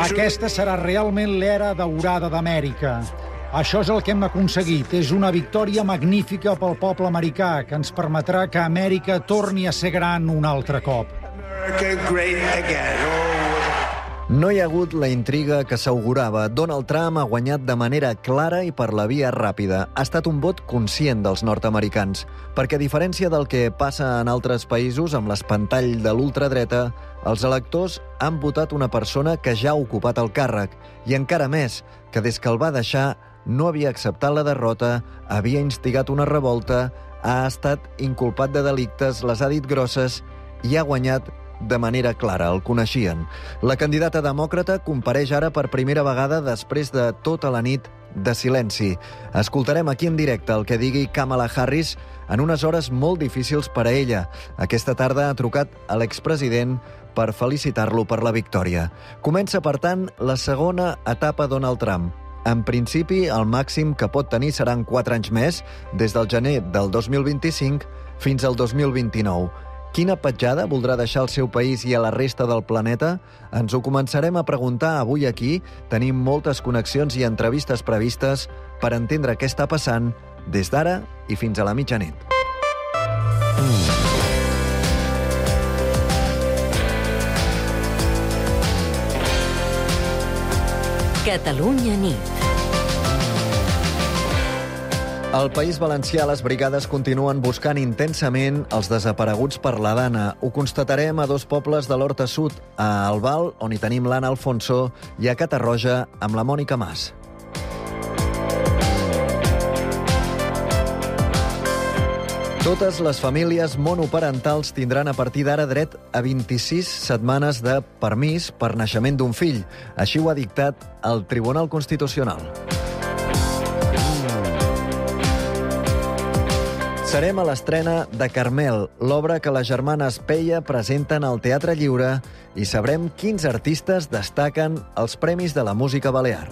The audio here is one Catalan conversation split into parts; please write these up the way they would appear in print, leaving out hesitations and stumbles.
Aquesta serà realment l'era daurada d'Amèrica. Això és el que hem aconseguit. És una victòria magnífica pel poble americà que ens permetrà que Amèrica torni a ser gran un altre cop. No hi ha hagut la intriga que s'augurava. Donald Trump ha guanyat de manera clara i per la via ràpida. Ha estat un vot conscient dels nord-americans, perquè a diferència del que passa en altres països amb l'espantall de l'ultradreta, els electors han votat una persona que ja ha ocupat el càrrec i encara més, que des que el va deixar no havia acceptat la derrota, havia instigat una revolta, ha estat inculpat de delictes, les ha dit grosses i ha guanyat de manera clara, el coneixien. La candidata demòcrata compareix ara per primera vegada després de tota la nit de silenci. Escoltarem aquí en directe el que digui Kamala Harris en unes hores molt difícils per a ella. Aquesta tarda ha trucat a l'expresident per felicitar-lo per la victòria. Comença, per tant, la segona etapa Donald Trump. En principi, el màxim que pot tenir seran 4 anys més, des del gener del 2025 fins al 2029. Quina petjada voldrà deixar al seu país i a la resta del planeta? Ens ho començarem a preguntar avui aquí. Tenim moltes connexions i entrevistes previstes per entendre què està passant des d'ara i fins a la mitjanit. Catalunya nit. Al País Valencià, les brigades continuen buscant intensament els desapareguts per la Dana. Ho constatarem a 2 pobles de l'Horta Sud, a Albal, on hi tenim l'Anna Alfonso, i a Catarroja, amb la Mònica Mas. Totes les famílies monoparentals tindran a partir d'ara dret a 26 setmanes de permís per naixement d'un fill. Així ho ha dictat el Tribunal Constitucional. Serem a l'estrena de Carmel, l'obra que les germanes Peia presenten al Teatre Lliure, i sabrem quins artistes destaquen els Premis de la Música Balear.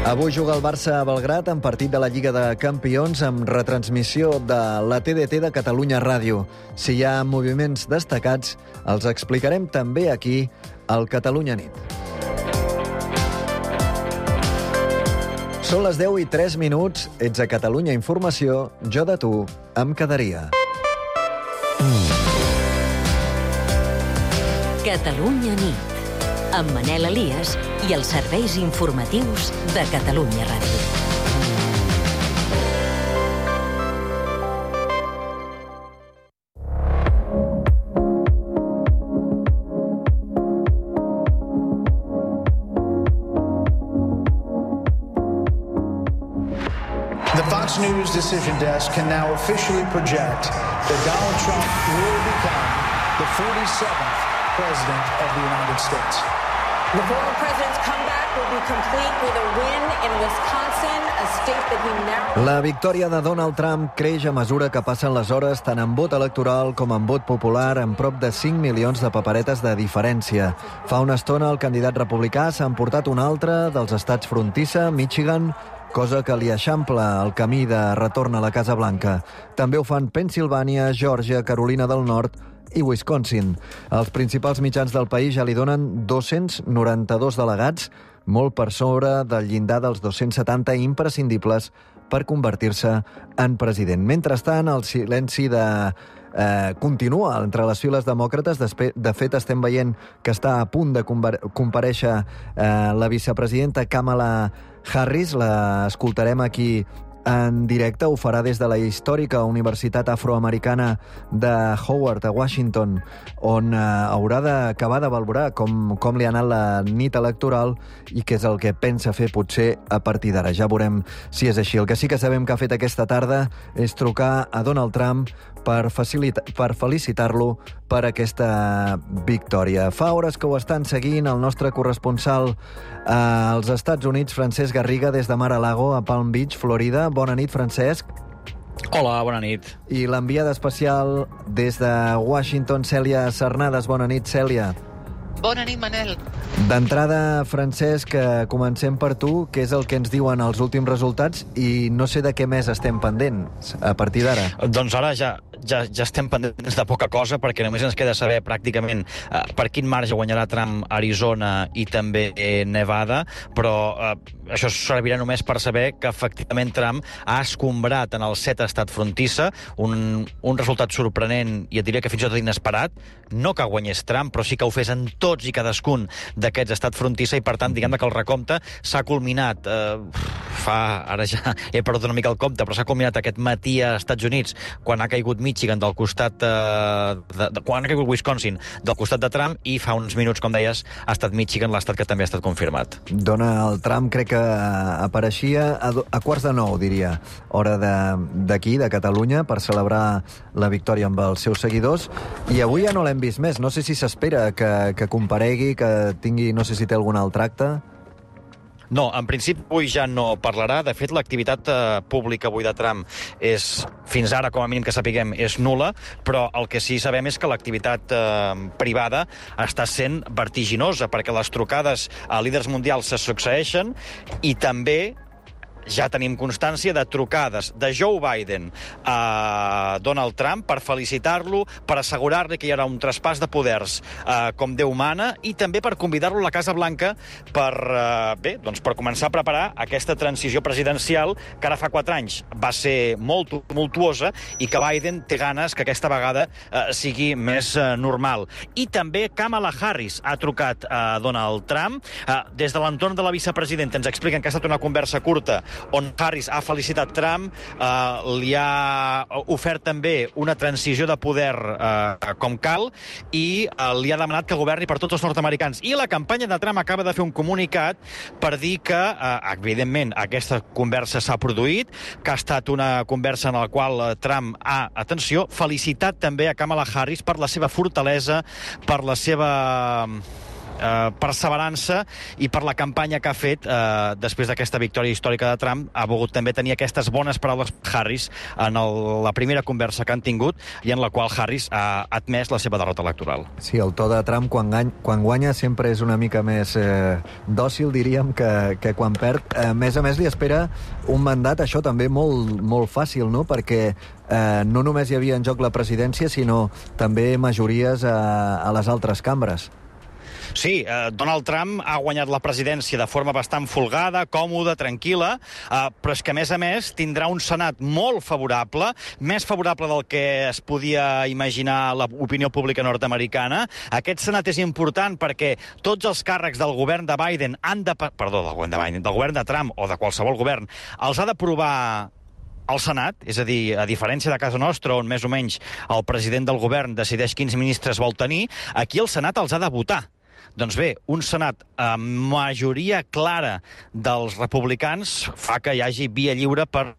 Avui juga el Barça a Belgrad en partit de la Lliga de Campions amb retransmissió de la TDT de Catalunya Ràdio. Si hi ha moviments destacats, els explicarem també aquí al Catalunya Nit. Són les 10:03, ets a Catalunya Informació, jo de tu em quedaria. Catalunya nit, amb Manel Elias i els serveis informatius de Catalunya Ràdio. News Decision Desk can now officially project that Donald Trump will become the 47th President of the United States. The former president's comeback will be complete with a win in Wisconsin, a state that he narrowly... La victòria de Donald Trump creix a mesura que passen les hores, tant en vot electoral com en vot popular, amb prop de 5 milions de paperetes de diferència. Fa una estona el candidat republicà s'ha emportat un altre dels estats frontissa, Michigan, cosa que li eixampla el camí de retorn a la Casa Blanca. També ho fan Pennsilvània, Geòrgia, Carolina del Nord i Wisconsin. Els principals mitjans del país ja li donen 292 delegats, molt per sobre del llindar dels 270 imprescindibles per convertir-se en president. Mentrestant, el silenci continua entre les files demòcrates. De fet, estem veient que està a punt de comparèixer la vicepresidenta Kamala Harris. L'escoltarem aquí en directe. Ho farà des de la històrica Universitat Afroamericana de Howard, a Washington, on haurà d'acabar de valorar com li ha anat la nit electoral i què és el que pensa fer potser a partir d'ara. Ja veurem si és així. El que sí que sabem que ha fet aquesta tarda és trucar a Donald Trump per felicitar-lo per aquesta victòria. Fa hores que ho estan seguint el nostre corresponsal als Estats Units, Francesc Garriga, des de Mar-a-Lago, a Palm Beach, Florida. Bona nit, Francesc. Hola, bona nit. I l'enviada especial des de Washington, Cèlia Cernades. Bona nit, Cèlia. Bona nit, Manel. D'entrada, Francesc, comencem per tu, què és el que ens diuen els últims resultats i no sé de què més estem pendents a partir d'ara. Doncs ara ja estem pendents de poca cosa, perquè només ens queda saber pràcticament per quin marge guanyarà Trump Arizona i també Nevada, però això servirà només per saber que efectivament Trump ha escombrat en el 7 estat frontissa, un resultat sorprenent i et diria que fins i tot inesperat, no que guanyés Trump, però sí que ho fes en tots i cadascun d'aquests estat frontissa i, per tant, diguem que el recompte s'ha culminat ara ja he perdut una mica el compte, però s'ha culminat aquest matí a Estats Units, quan ha caigut Michigan del costat quan ha caigut Wisconsin del costat de Trump, i fa uns minuts, com deies, ha estat Michigan l'estat que també ha estat confirmat. Donald Trump crec que apareixia a quarts de 9, diria, hora d'aquí, de Catalunya, per celebrar la victòria amb els seus seguidors, i avui ja no l'hem vist més. No sé si s'espera que comparegui, que tingui, no sé si té algun altre acte. No, en principi avui ja no parlarà. De fet, l'activitat pública avui de Trump és, fins ara, com a mínim que sapiguem, és nul·la, però el que sí sabem és que l'activitat privada està sent vertiginosa, perquè les trucades a líders mundials se succeeixen i també ja tenim constància de trucades de Joe Biden a Donald Trump per felicitar-lo, per assegurar-li que hi haurà un traspàs de poders com Déu mana, i també per convidar-lo a la Casa Blanca per començar a preparar aquesta transició presidencial que ara fa 4 anys va ser molt tumultuosa i que Biden té ganes que aquesta vegada sigui més normal. I també Kamala Harris ha trucat a Donald Trump. Des de l'entorn de la vicepresidenta ens expliquen que ha estat una conversa curta on Harris ha felicitat Trump, li ha ofert també una transició de poder com cal i li ha demanat que governi per tots els nord-americans. I la campanya de Trump acaba de fer un comunicat per dir que, evidentment, aquesta conversa s'ha produït, que ha estat una conversa en la qual Trump ha, atenció, felicitat també a Kamala Harris per la seva fortalesa, per la seva perseverança i per la campanya que ha fet després d'aquesta victòria històrica de Trump. Ha volgut també tenir aquestes bones paraules Harris en la primera conversa que han tingut i en la qual Harris ha admès la seva derrota electoral. Sí, el to de Trump quan guanya sempre és una mica més dòcil, diríem, que quan perd. A més, li espera un mandat, això també molt fàcil, no? Perquè no només hi havia en joc la presidència, sinó també majories a les altres cambres. Sí, Donald Trump ha guanyat la presidència de forma bastant folgada, còmoda, tranquil·la, però és que, a més, tindrà un Senat molt favorable, més favorable del que es podia imaginar l'opinió pública nord-americana. Aquest Senat és important perquè tots els càrrecs del govern de Biden del govern de Trump o de qualsevol govern, els ha d'aprovar al Senat, és a dir, a diferència de casa nostra, on més o menys el president del govern decideix quins ministres vol tenir, aquí el Senat els ha de votar. Doncs bé, un Senat amb majoria clara dels republicans fa que hi hagi via lliure per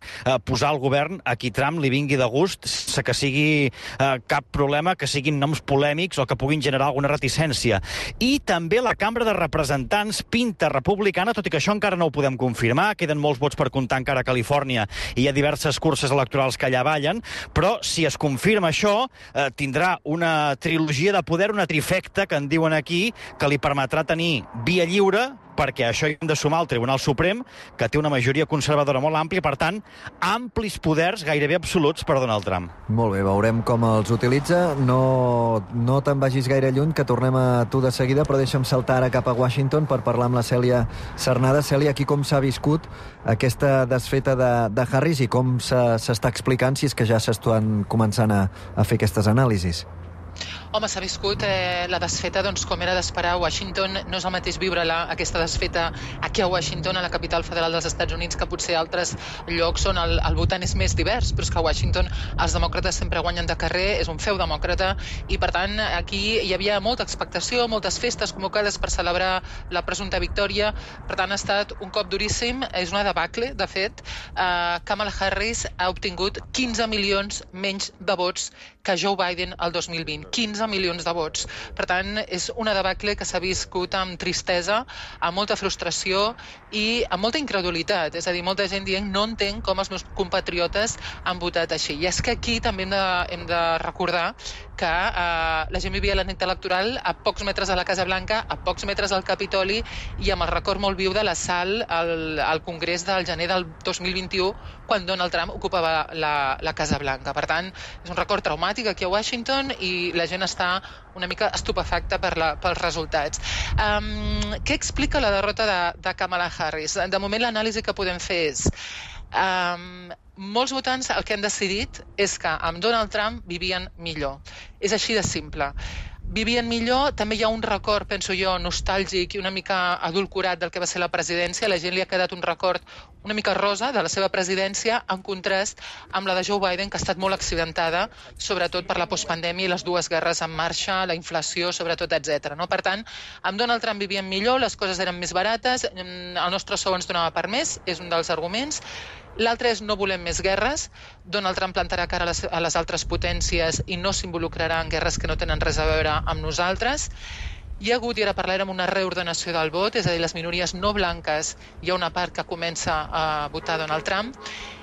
posar al govern a qui Trump li vingui de gust, sense que sigui cap problema, que siguin noms polèmics o que puguin generar alguna reticència. I també la Cambra de Representants pinta republicana, tot i que això encara no ho podem confirmar, queden molts vots per comptar encara a Califòrnia i hi ha diverses curses electorals que allà ballen, però si es confirma això, tindrà una trilogia de poder, una trifecta, que en diuen aquí, que li permetrà tenir via lliure, perquè això hi hem de sumar al Tribunal Suprem, que té una majoria conservadora molt àmplia, per tant, amplis poders gairebé absoluts per Donald Trump. Molt bé, veurem com els utilitza. No te'n vagis gaire lluny, que tornem a tu de seguida, però deixa'm saltar ara cap a Washington per parlar amb la Cèlia Cernada. Cèlia, aquí com s'ha viscut aquesta desfeta de Harris i com s'està explicant, si és que ja s'estan començant a fer aquestes anàlisis? Home, s'ha viscut la desfeta, doncs, com era d'esperar a Washington. No és el mateix viure-la, aquesta desfeta, aquí a Washington, a la capital federal dels Estats Units, que potser altres llocs on el votant és més divers, però és que a Washington els demòcrates sempre guanyen de carrer, és un feu demòcrata, i per tant aquí hi havia molta expectació, moltes festes convocades per celebrar la presumpta victòria. Per tant, ha estat un cop duríssim, és una debacle, de fet. Kamala Harris ha obtingut 15 milions menys de vots que Joe Biden el 2020. 15 11 milions de vots. Per tant, és una debacle que s'ha viscut amb tristesa, amb molta frustració i amb molta incredulitat. És a dir, molta gent dient no entenc com els meus compatriotes han votat així. I és que aquí també hem de recordar que la gent vivia la nit electoral a pocs metres de la Casa Blanca, a pocs metres del Capitoli i amb el record molt viu de l'assalt al Congrés del gener del 2021 quan Donald Trump ocupava la Casa Blanca. Per tant, és un record traumàtic aquí a Washington i la gent està una mica estupefacta pels resultats. Què explica la derrota de Kamala Harris? De moment l'anàlisi que podem fer és molts votants el que han decidit és que amb Donald Trump vivien millor. És així de simple. Vivien millor, també hi ha un record, penso jo, nostàlgic i una mica adulcorat del que va ser la presidència. A la gent li ha quedat un record una mica rosa de la seva presidència en contrast amb la de Joe Biden, que ha estat molt accidentada, sobretot per la postpandèmia i les dues guerres en marxa, la inflació, sobretot, etc. Per tant, amb Donald Trump vivien millor, les coses eren més barates, el nostre sou ens donava per més, és un dels arguments. L'altre és no volem més guerres. Donald Trump plantarà cara a les altres potències i no s'involucrarà en guerres que no tenen res a veure amb nosaltres. Hi ha hagut, i ara parlarem, una reordenació del vot, és a dir, les minories no blanques, hi ha una part que comença a votar Donald Trump,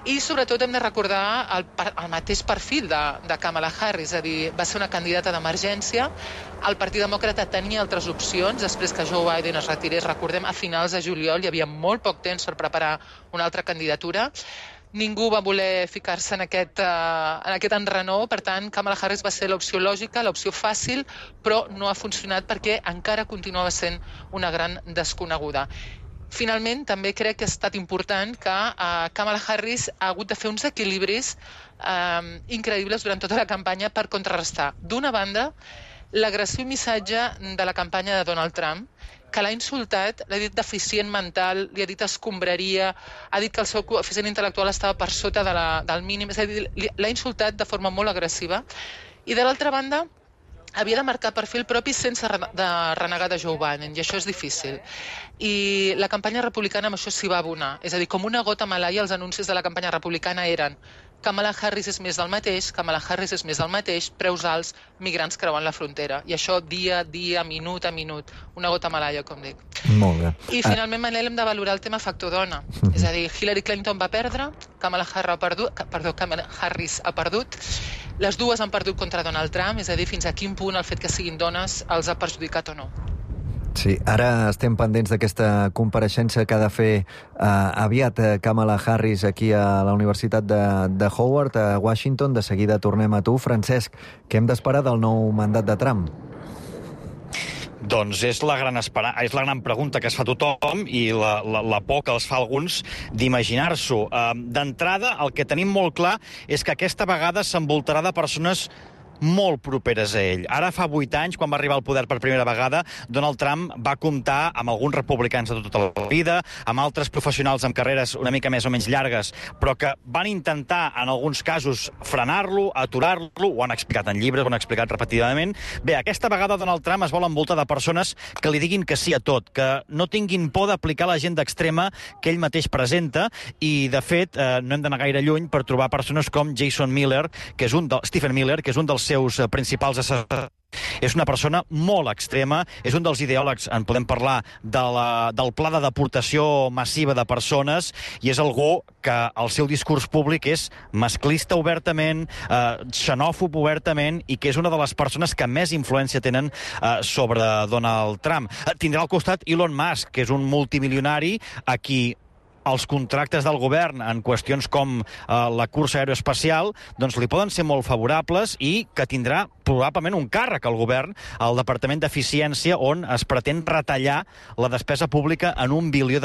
i sobretot hem de recordar el mateix perfil de Kamala Harris, és a dir, va ser una candidata d'emergència, el Partit Demòcrata tenia altres opcions, després que Joe Biden es retirés, recordem, a finals de juliol hi havia molt poc temps per preparar una altra candidatura, ningú va voler ficar-se en aquest enrenou, per tant, Kamala Harris va ser l'opció lògica, l'opció fàcil, però no ha funcionat perquè encara continuava sent una gran desconeguda. Finalment, també crec que ha estat important que Kamala Harris ha hagut de fer uns equilibris increïbles durant tota la campanya per contrarrestar, d'una banda, l'agressiu missatge de la campanya de Donald Trump, que l'ha insultat, l'ha dit deficient mental, li ha dit escombraria, ha dit que el seu coeficient intel·lectual estava per sota del mínim, és a dir, l'ha insultat de forma molt agressiva. I de l'altra banda, havia de marcar perfil propi sense renegar de Joe Biden, i això és difícil. I la campanya republicana amb això s'hi va abonar. És a dir, com una gota a Malaia, els anuncis de la campanya republicana eren Kamala Harris és més del mateix, Kamala Harris és més del mateix, preus alts, migrants creuant la frontera. I això dia a dia, minut a minut, una gota a Malaia, com dic. Molt bé. I finalment, Manel, hem de valorar el tema factor dona. És a dir, Hillary Clinton va perdre, Kamala Harris ha perdut, les dues han perdut contra Donald Trump, és a dir, fins a quin punt el fet que siguin dones els ha perjudicat o no. Sí, ara estem pendents d'aquesta compareixença que ha de fer aviat Kamala Harris aquí a la Universitat de Howard, a Washington. De seguida tornem a tu. Francesc, què hem d'esperar del nou mandat de Trump? Doncs és la gran pregunta que es fa tothom i la por que els fa alguns d'imaginar-s'ho. D'entrada, el que tenim molt clar és que aquesta vegada s'envoltarà de persones molt properes a ell. Ara fa 8 anys, quan va arribar al poder per primera vegada, Donald Trump va comptar amb alguns republicans de tota la vida, amb altres professionals amb carreres una mica més o menys llargues, però que van intentar, en alguns casos, frenar-lo, aturar-lo, ho han explicat en llibres, ho han explicat repetidament. Bé, aquesta vegada Donald Trump es vol envoltar de persones que li diguin que sí a tot, que no tinguin por d'aplicar l'agenda extrema que ell mateix presenta, i, de fet, no hem d'anar gaire lluny per trobar persones com Stephen Miller, que és un dels seus principals assessors. És una persona molt extrema, és un dels ideòlegs, en podem parlar, del pla de deportació massiva de persones, i és algú que el seu discurs públic és masclista obertament, xenòfob obertament, i que és una de les persones que més influència tenen sobre Donald Trump. Tindrà al costat Elon Musk, que és un multimilionari a qui els contractes del govern en qüestions com la cursa aeroespacial doncs li poden ser molt favorables i que tindrà probablement un càrrec al govern, al Departament d'Eficiència, on es pretén retallar la despesa pública en $1 bilió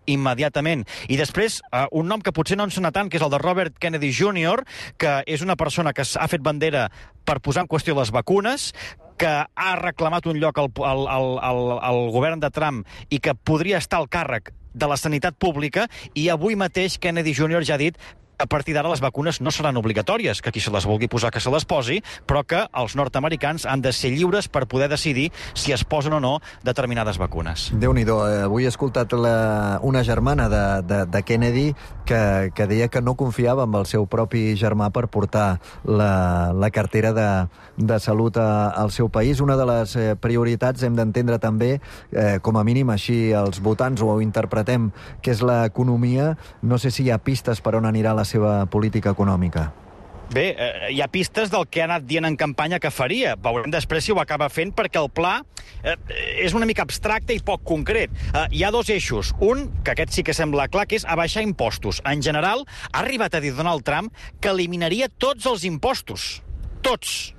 immediatament. I després, un nom que potser no ens sona tant, que és el de Robert Kennedy Jr., que és una persona que ha fet bandera per posar en qüestió les vacunes, que ha reclamat un lloc al govern de Trump i que podria estar al càrrec de la sanitat pública, i avui mateix Kennedy Jr. ja ha dit a partir d'ara les vacunes no seran obligatòries, que qui se les vulgui posar que se les posi, però que els nord-americans han de ser lliures per poder decidir si es posen o no determinades vacunes. Déu-n'hi-do, avui he escoltat una germana de Kennedy que deia que no confiava en el seu propi germà per portar la cartera de salut al seu país. Una de les prioritats hem d'entendre també, com a mínim així els votants ho interpretem, que és l'economia. No sé si hi ha pistes per on anirà la seva política econòmica. Bé, hi ha pistes del que ha anat dient en campanya que faria. Veurem després si ho acaba fent, perquè el pla és una mica abstracte i poc concret. Hi ha dos eixos. Un, que aquest sí que sembla clar, que és abaixar impostos. En general, ha arribat a dir Donald Trump que eliminaria tots els impostos. Tots.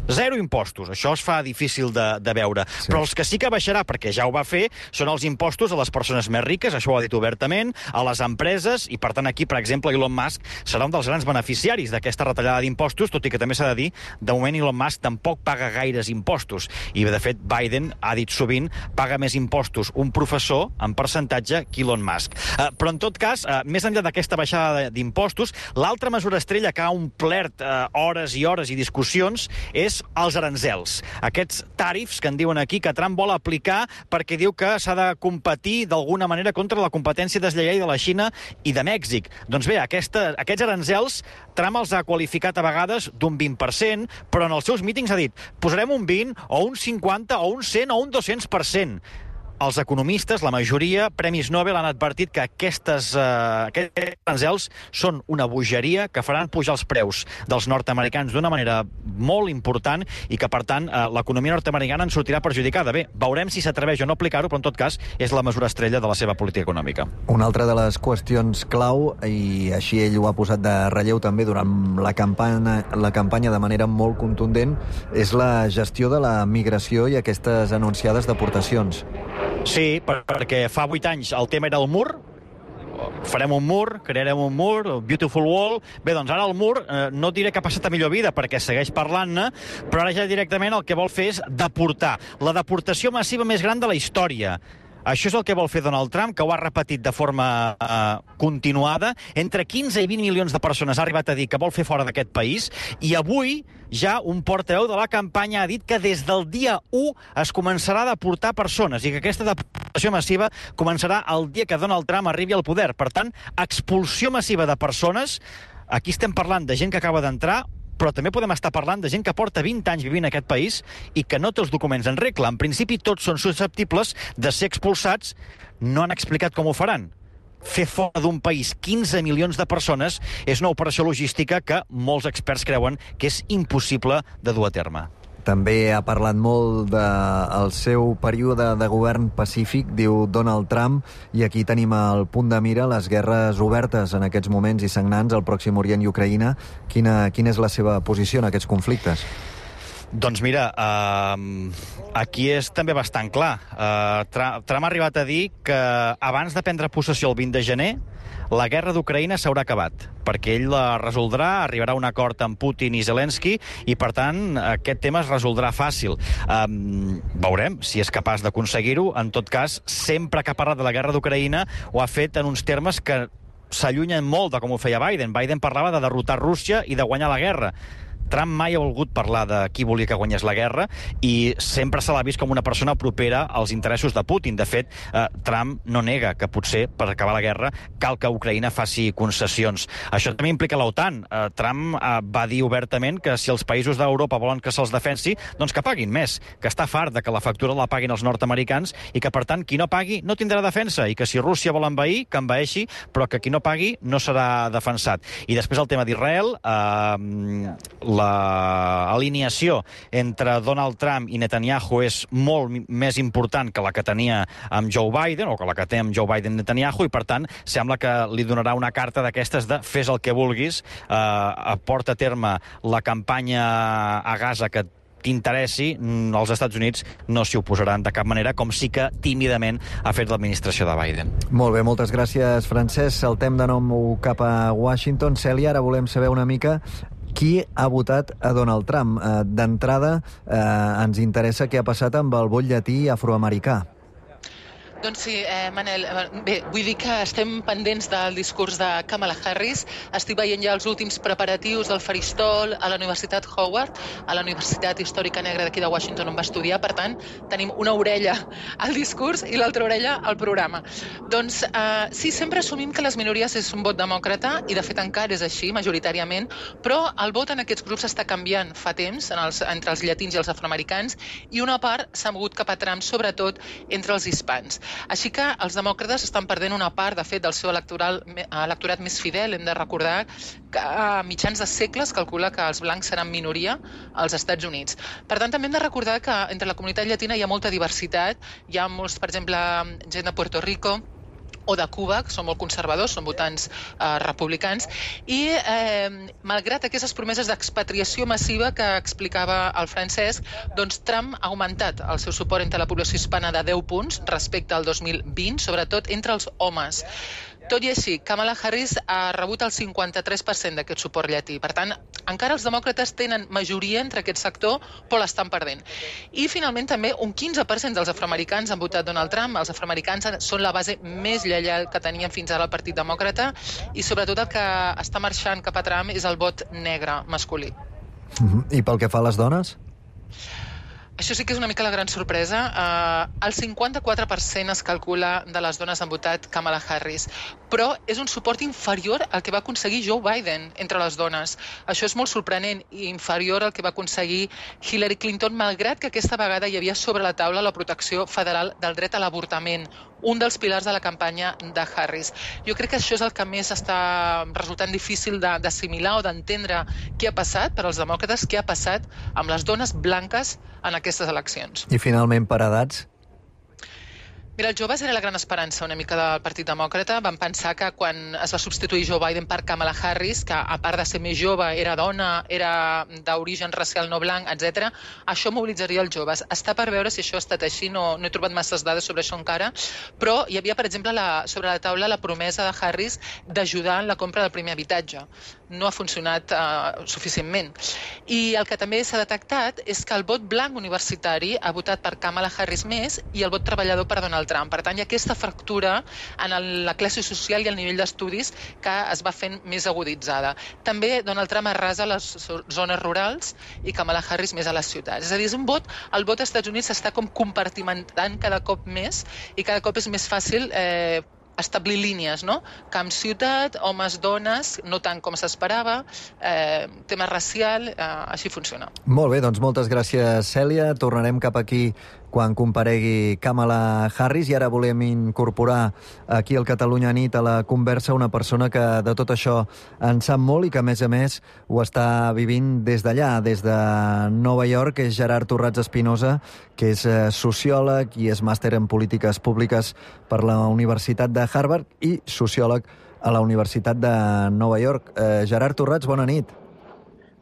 Zero impostos. Això es fa difícil de veure. Sí. Però els que sí que baixarà, perquè ja ho va fer, són els impostos a les persones més riques, això ho ha dit obertament, a les empreses, i per tant aquí, per exemple, Elon Musk serà un dels grans beneficiaris d'aquesta retallada d'impostos, tot i que també s'ha de dir, de moment Elon Musk tampoc paga gaires impostos. I, de fet, Biden ha dit sovint paga més impostos un professor en percentatge que Elon Musk. Però, en tot cas, més enllà d'aquesta baixada d'impostos, l'altra mesura estrella que ha omplert hores i hores i discussions és els aranzels. Aquests tarifs que en diuen aquí que Trump vol aplicar perquè diu que s'ha de competir d'alguna manera contra la competència deslleial de la Xina i de Mèxic. Doncs bé, aquests aranzels Trump els ha qualificat a vegades d'un 20%, però en els seus mítings ha dit posarem un 20, o un 50, o un 100, o un 200%. Els economistes, la majoria, Premis Nobel, han advertit que aquests aranzels són una bogeria que faran pujar els preus dels nord-americans d'una manera molt important i que, per tant, l'economia nord-americana en sortirà perjudicada. Bé, veurem si s'atreveix o no aplicar-ho, però en tot cas és la mesura estrella de la seva política econòmica. Una altra de les qüestions clau, i així ell ho ha posat de relleu també durant la campanya de manera molt contundent, és la gestió de la migració i aquestes anunciades deportacions. Sí, perquè fa 8 anys el tema era el mur, farem un mur, crearem un mur, Beautiful Wall. Bé, doncs ara el mur, no diré que ha passat a millor vida, perquè segueix parlant-ne, però ara ja directament el que vol fer és deportar. La deportació massiva més gran de la història. Això és el que vol fer Donald Trump, que ho ha repetit de forma continuada. Entre 15 i 20 milions de persones ha arribat a dir que vol fer fora d'aquest país, i avui ja un portaveu de la campanya ha dit que des del dia 1 es començarà a deportar persones i que aquesta deportació massiva començarà el dia que Donald Trump arribi al poder. Per tant, expulsió massiva de persones. Aquí estem parlant de gent que acaba d'entrar, però també podem estar parlant de gent que porta 20 anys vivint en aquest país i que no té els documents en regla. En principi, tots són susceptibles de ser expulsats. No han explicat com ho faran. Fer fora d'un país 15 milions de persones és una operació logística que molts experts creuen que és impossible de dur a terme. També ha parlat molt del seu període de govern pacífic, diu Donald Trump, i aquí tenim al punt de mira les guerres obertes en aquests moments i sagnants al Pròxim Orient i Ucraïna. Quina és la seva posició en aquests conflictes? Doncs mira, aquí és també bastant clar. Trump ha arribat a dir que abans de prendre possessió el 20 de gener, la guerra d'Ucraïna s'haurà acabat, perquè ell la resoldrà, arribarà a un acord amb Putin i Zelensky, i per tant aquest tema es resoldrà fàcil. Veurem si és capaç d'aconseguir-ho. En tot cas, sempre que ha parlat de la guerra d'Ucraïna ho ha fet en uns termes que s'allunyen molt de com ho feia Biden. Biden parlava de derrotar Rússia i de guanyar la guerra. Trump mai ha volgut parlar de qui volia que guanyés la guerra i sempre se l'ha vist com una persona propera als interessos de Putin. De fet, Trump no nega que potser per acabar la guerra cal que Ucraïna faci concessions. Això també implica l'OTAN. Trump va dir obertament que si els països d'Europa volen que se'ls defensi, doncs que paguin més, que està fart de que la factura la paguin els nord-americans i que, per tant, qui no pagui no tindrà defensa i que si Rússia vol envair, que envaeixi, però que qui no pagui no serà defensat. I després el tema d'Israel, l'alineació entre Donald Trump i Netanyahu és molt més important que la que tenia amb Joe Biden, o que la que té amb Joe Biden Netanyahu, i per tant sembla que li donarà una carta d'aquestes de fes el que vulguis, porta a terme la campanya a Gaza que t'interessi, els Estats Units no s'hi oposaran de cap manera, com sí que tímidament ha fet l'administració de Biden. Molt bé, moltes gràcies, Francesc. Saltem de nou cap a Washington. Cèlia, ara volem saber una mica qui ha votat a Donald Trump. D'entrada, ens interessa què ha passat amb el vot llatí afroamericà. Doncs sí, Manel, bé, vull dir que estem pendents del discurs de Kamala Harris. Estic veient ja els últims preparatius del faristol a la Universitat Howard, a la Universitat Històrica Negra d'aquí de Washington, on va estudiar. Per tant, tenim una orella al discurs i l'altra orella al programa. Doncs sí, sempre assumim que les minories és un vot demòcrata, i de fet encara és així, majoritàriament, però el vot en aquests grups està canviant fa temps entre els llatins i els afroamericans, i una part s'ha mogut cap a Trump, sobretot entre els hispans. Així que els demòcrates estan perdent una part, de fet, del seu electorat més fidel. Hem de recordar que a mitjans de segles calcula que els blancs seran minoria als Estats Units. Per tant, també hem de recordar que entre la comunitat llatina hi ha molta diversitat. Hi ha molts, per exemple, gent de Puerto Rico o de Cuba, que són molt conservadors, són votants republicans, i malgrat aquestes promeses d'expatriació massiva que explicava el Francesc, doncs Trump ha augmentat el seu suport entre la població hispana de 10 punts respecte al 2020, sobretot entre els homes. Tot i així, Kamala Harris ha rebut el 53% d'aquest suport llatí. Per tant, encara els demòcrates tenen majoria entre aquest sector, però l'estan perdent. I finalment també un 15% dels afroamericans han votat Donald Trump. Els afroamericans són la base més lleial que tenien fins ara el Partit Demòcrata, i sobretot el que està marxant cap a Trump és el vot negre masculí. I pel que fa a les dones? Això sí que és una mica la gran sorpresa. El 54% es calcula de les dones han votat Kamala Harris, però és un suport inferior al que va aconseguir Joe Biden entre les dones. Això és molt sorprenent, i inferior al que va aconseguir Hillary Clinton, malgrat que aquesta vegada hi havia sobre la taula la protecció federal del dret a l'avortament, un dels pilars de la campanya de Harris. Jo crec que això és el que més està resultant difícil d'assimilar o d'entendre què ha passat per als demòcrates, què ha passat amb les dones blanques en aquestes eleccions. I finalment, per edats? Mira, els joves era la gran esperança una mica del Partit Demòcrata. Van pensar que quan es va substituir Joe Biden per Kamala Harris, que a part de ser més jove, era dona, era d'origen racial no blanc, etc., això mobilitzaria els joves. Està per veure si això ha estat així, no he trobat masses dades sobre això encara, però hi havia, per exemple, sobre la taula la promesa de Harris d'ajudar en la compra del primer habitatge. No ha funcionat suficientment. I el que també s'ha detectat és que el vot blanc universitari ha votat per Kamala Harris més, i el vot treballador per Donald Trump. Per tant, hi ha aquesta fractura en la classe social i el nivell d'estudis que es va fent més aguditzada. També Donald Trump arrasa les zones rurals i Kamala Harris més a les ciutats. És a dir, el vot als Estats Units s'està com compartimentant cada cop més, i cada cop és més fàcil establir línies, no? Camp-ciutat, homes-dones, no tant com s'esperava, tema racial, així funciona. Molt bé, doncs moltes gràcies, Cèlia. Tornarem cap aquí quan comparegui Kamala Harris, i ara volem incorporar aquí al Catalunya Nit a la conversa una persona que de tot això en sap molt i que, a més, ho està vivint des d'allà, des de Nova York. És Gerard Torrats Espinosa, que és sociòleg i és màster en polítiques públiques per la Universitat de Harvard i sociòleg a la Universitat de Nova York. Gerard Torrats, bona nit.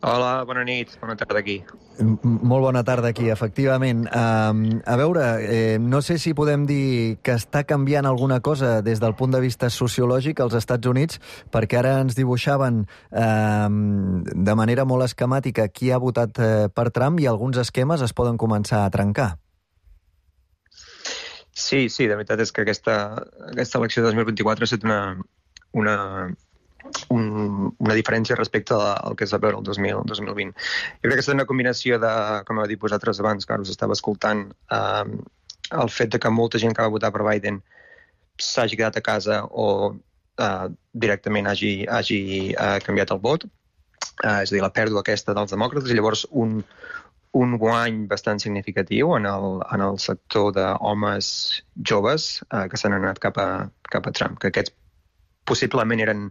Hola, bona nit. Bona tarda aquí. Molt bona tarda aquí, efectivament. A veure, no sé si podem dir que està canviant alguna cosa des del punt de vista sociològic als Estats Units, perquè ara ens dibuixaven de manera molt esquemàtica qui ha votat per Trump, i alguns esquemes es poden començar a trencar. Sí, de veritat és que aquesta elecció de 2024 ha estat una diferència respecte al que es va veure el 2020. Jo crec que és una combinació de, com heu dit vosaltres abans, que us estava escoltant, el fet de que molta gent que va votar per Biden s'hagi quedat a casa o directament hagi canviat el vot, és a dir, la pèrdua aquesta dels demòcrates, i llavors un guany bastant significatiu en el sector d'homes joves que s'han anat cap a Trump, que aquests possiblement eren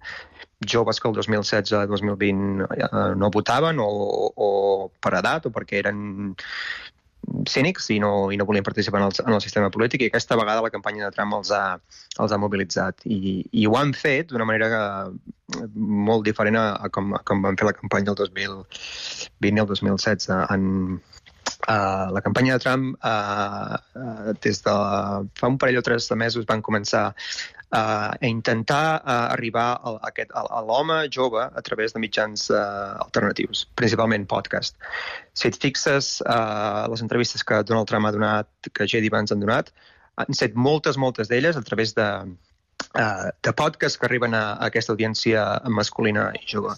joves que el 2016-2020 no votaven o per edat o perquè eren cínics i no volien participar en el sistema polític, i aquesta vegada la campanya de Trump els ha mobilitzat, i ho han fet d'una manera molt diferent a com van fer la campanya el 2020 i el 2016. La campanya de Trump des de fa un parell o 3 de mesos van començar a intentar arribar a l'home jove a través de mitjans alternatius, principalment podcast. Si et fixes, les entrevistes que Donald Trump ha donat, que J.D. Vance han donat, han set moltes d'elles a través de podcasts que arriben a aquesta audiència masculina i jove.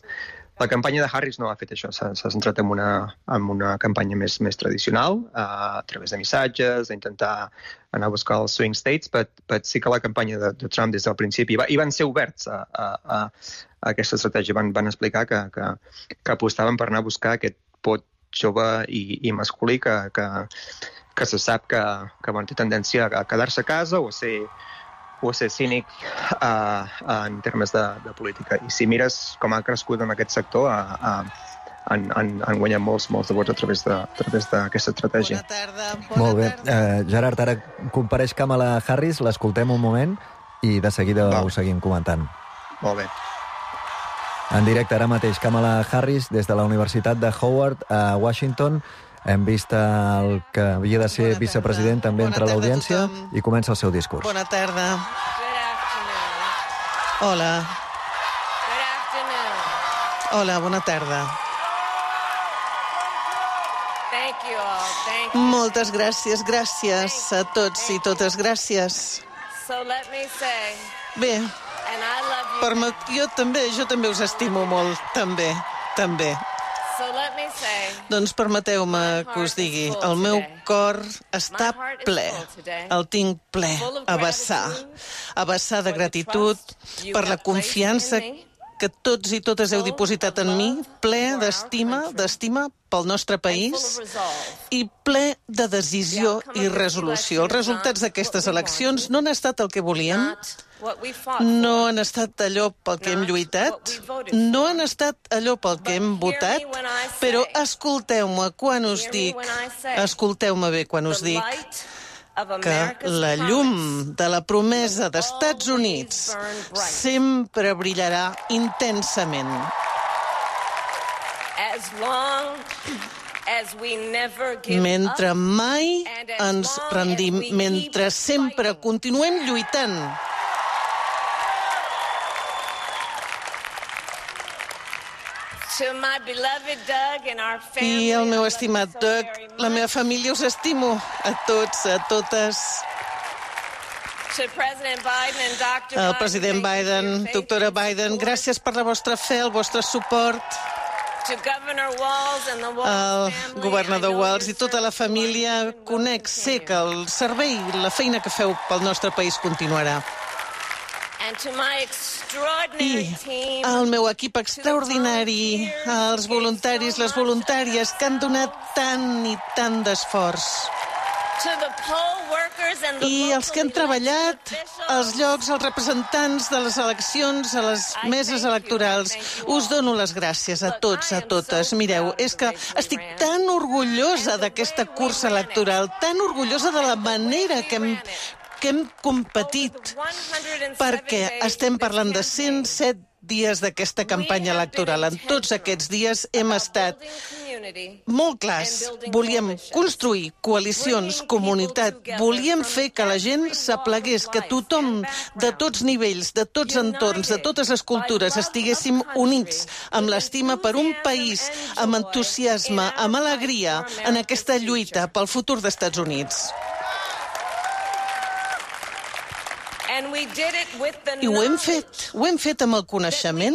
La campanya de Harris no ha fet això, s'ha centrat en una campanya més tradicional, a través de missatges, d'intentar anar a buscar els swing states, però sí que la campanya de Trump des del principi, i van ser oberts a aquesta estratègia, van explicar que apostaven per anar a buscar aquest pot jove i masculí que se sap que té tendència a quedar-se a casa o a ser cínic en termes de política. I si mires com ha crescut en aquest sector, han guanyat molts de vots a través d'aquesta estratègia. Bona tarda. Molt bé. Gerard, ara compareix Kamala Harris, l'escoltem un moment i de seguida ho seguim comentant. Molt bé. En directe ara mateix, Kamala Harris des de la Universitat de Howard a Washington. Hem vist el que havia de ser vicepresident també entre l'audiència i comença el seu discurs. Bona tarda. Hola. Hola, bona tarda. Moltes gràcies a tots i totes, gràcies. Bé, jo també us estimo molt, també. Doncs permeteu-me que us digui, el meu cor està ple, el tinc ple, a vessar de gratitud per la confiança que tots i totes heu dipositat en mi, ple d'estima pel nostre país i ple de decisió i resolució. Els resultats d'aquestes eleccions no han estat el que volíem, no han estat allò pel que hem lluitat, no han estat allò pel que hem votat, però escolteu-me quan us dic, escolteu-me bé quan us dic, que la llum de la promesa d'Estats Units sempre brillarà intensament. Mentre mai ens rendim, mentre sempre continuem lluitant. I el meu estimat Doug, la meva família, us estimo a tots, a totes. El president Biden, doctora Biden, gràcies per la vostra fe, el vostre suport. El governador Walz i tota la família, sé que el servei, la feina que feu pel nostre país continuarà. I al meu equip extraordinari, als voluntaris, les voluntàries que han donat tant i tant d'esforç. I els que han treballat als llocs, els representants de les eleccions, a les meses electorals, us dono les gràcies a tots, a totes. Mireu, és que estic tan orgullosa d'aquesta cursa electoral, tan orgullosa de la manera que hem competit, perquè estem parlant de 107 dies d'aquesta campanya electoral. En tots aquests dies hem estat molt clars. Volíem construir coalicions, comunitat, volíem fer que la gent s'aplegués, que tothom, de tots nivells, de tots entorns, de totes les cultures, estiguéssim units amb l'estima per un país, amb entusiasme, amb alegria, en aquesta lluita pel futur dels Estats Units. I ho hem fet amb el coneixement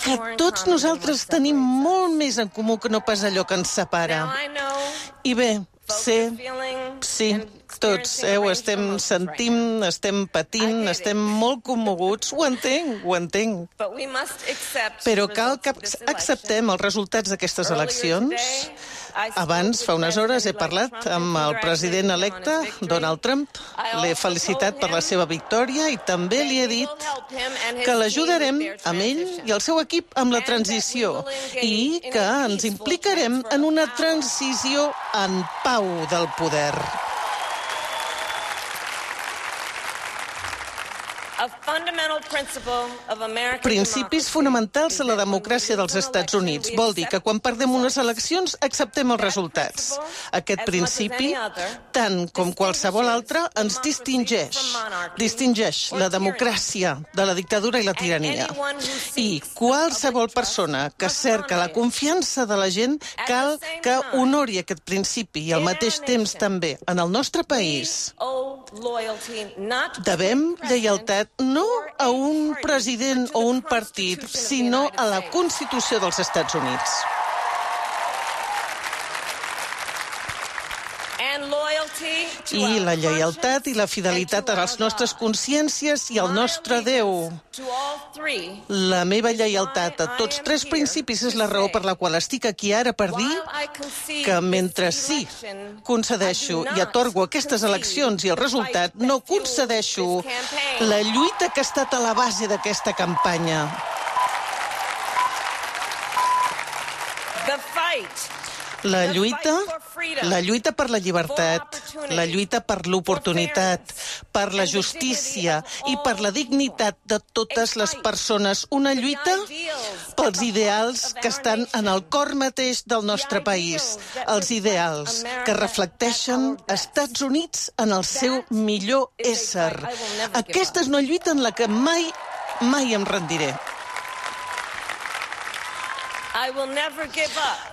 que tots nosaltres tenim molt més en comú que no pas allò que ens separa. I bé, sí, tots, ho estem sentint, estem patint, estem molt commoguts, ho entenc. Però cal que acceptem els resultats d'aquestes eleccions. Abans, fa unes hores, he parlat amb el president electe, Donald Trump. L'he felicitat per la seva victòria i també li he dit que l'ajudarem amb ell i el seu equip amb la transició i que ens implicarem en una transició en pau del poder. Principis fonamentals de la democràcia dels Estats Units. Vol dir que quan perdem unes eleccions acceptem els resultats. Aquest principi, tant com qualsevol altre, ens distingeix. Distingeix la democràcia de la dictadura i la tirania. I qualsevol persona que cerca la confiança de la gent cal que honori aquest principi i al mateix temps també en el nostre país Devem lleialtat no a un president o un partit, sinó a la Constitució dels Estats Units. I la lleialtat i la fidelitat a les nostres consciències i al nostre Déu. La meva lleialtat a tots tres principis és la raó per la qual estic aquí ara per dir que mentre sí concedeixo i atorgo aquestes eleccions i el resultat, no concedeixo la lluita que ha estat a la base d'aquesta campanya. La lluita per la llibertat, la lluita per l'oportunitat, per la justícia i per la dignitat de totes les persones. Una lluita pels ideals que estan en el cor mateix del nostre país. Els ideals que reflecteixen Estats Units en el seu millor ésser. Aquesta és una lluita en la que mai em rendiré.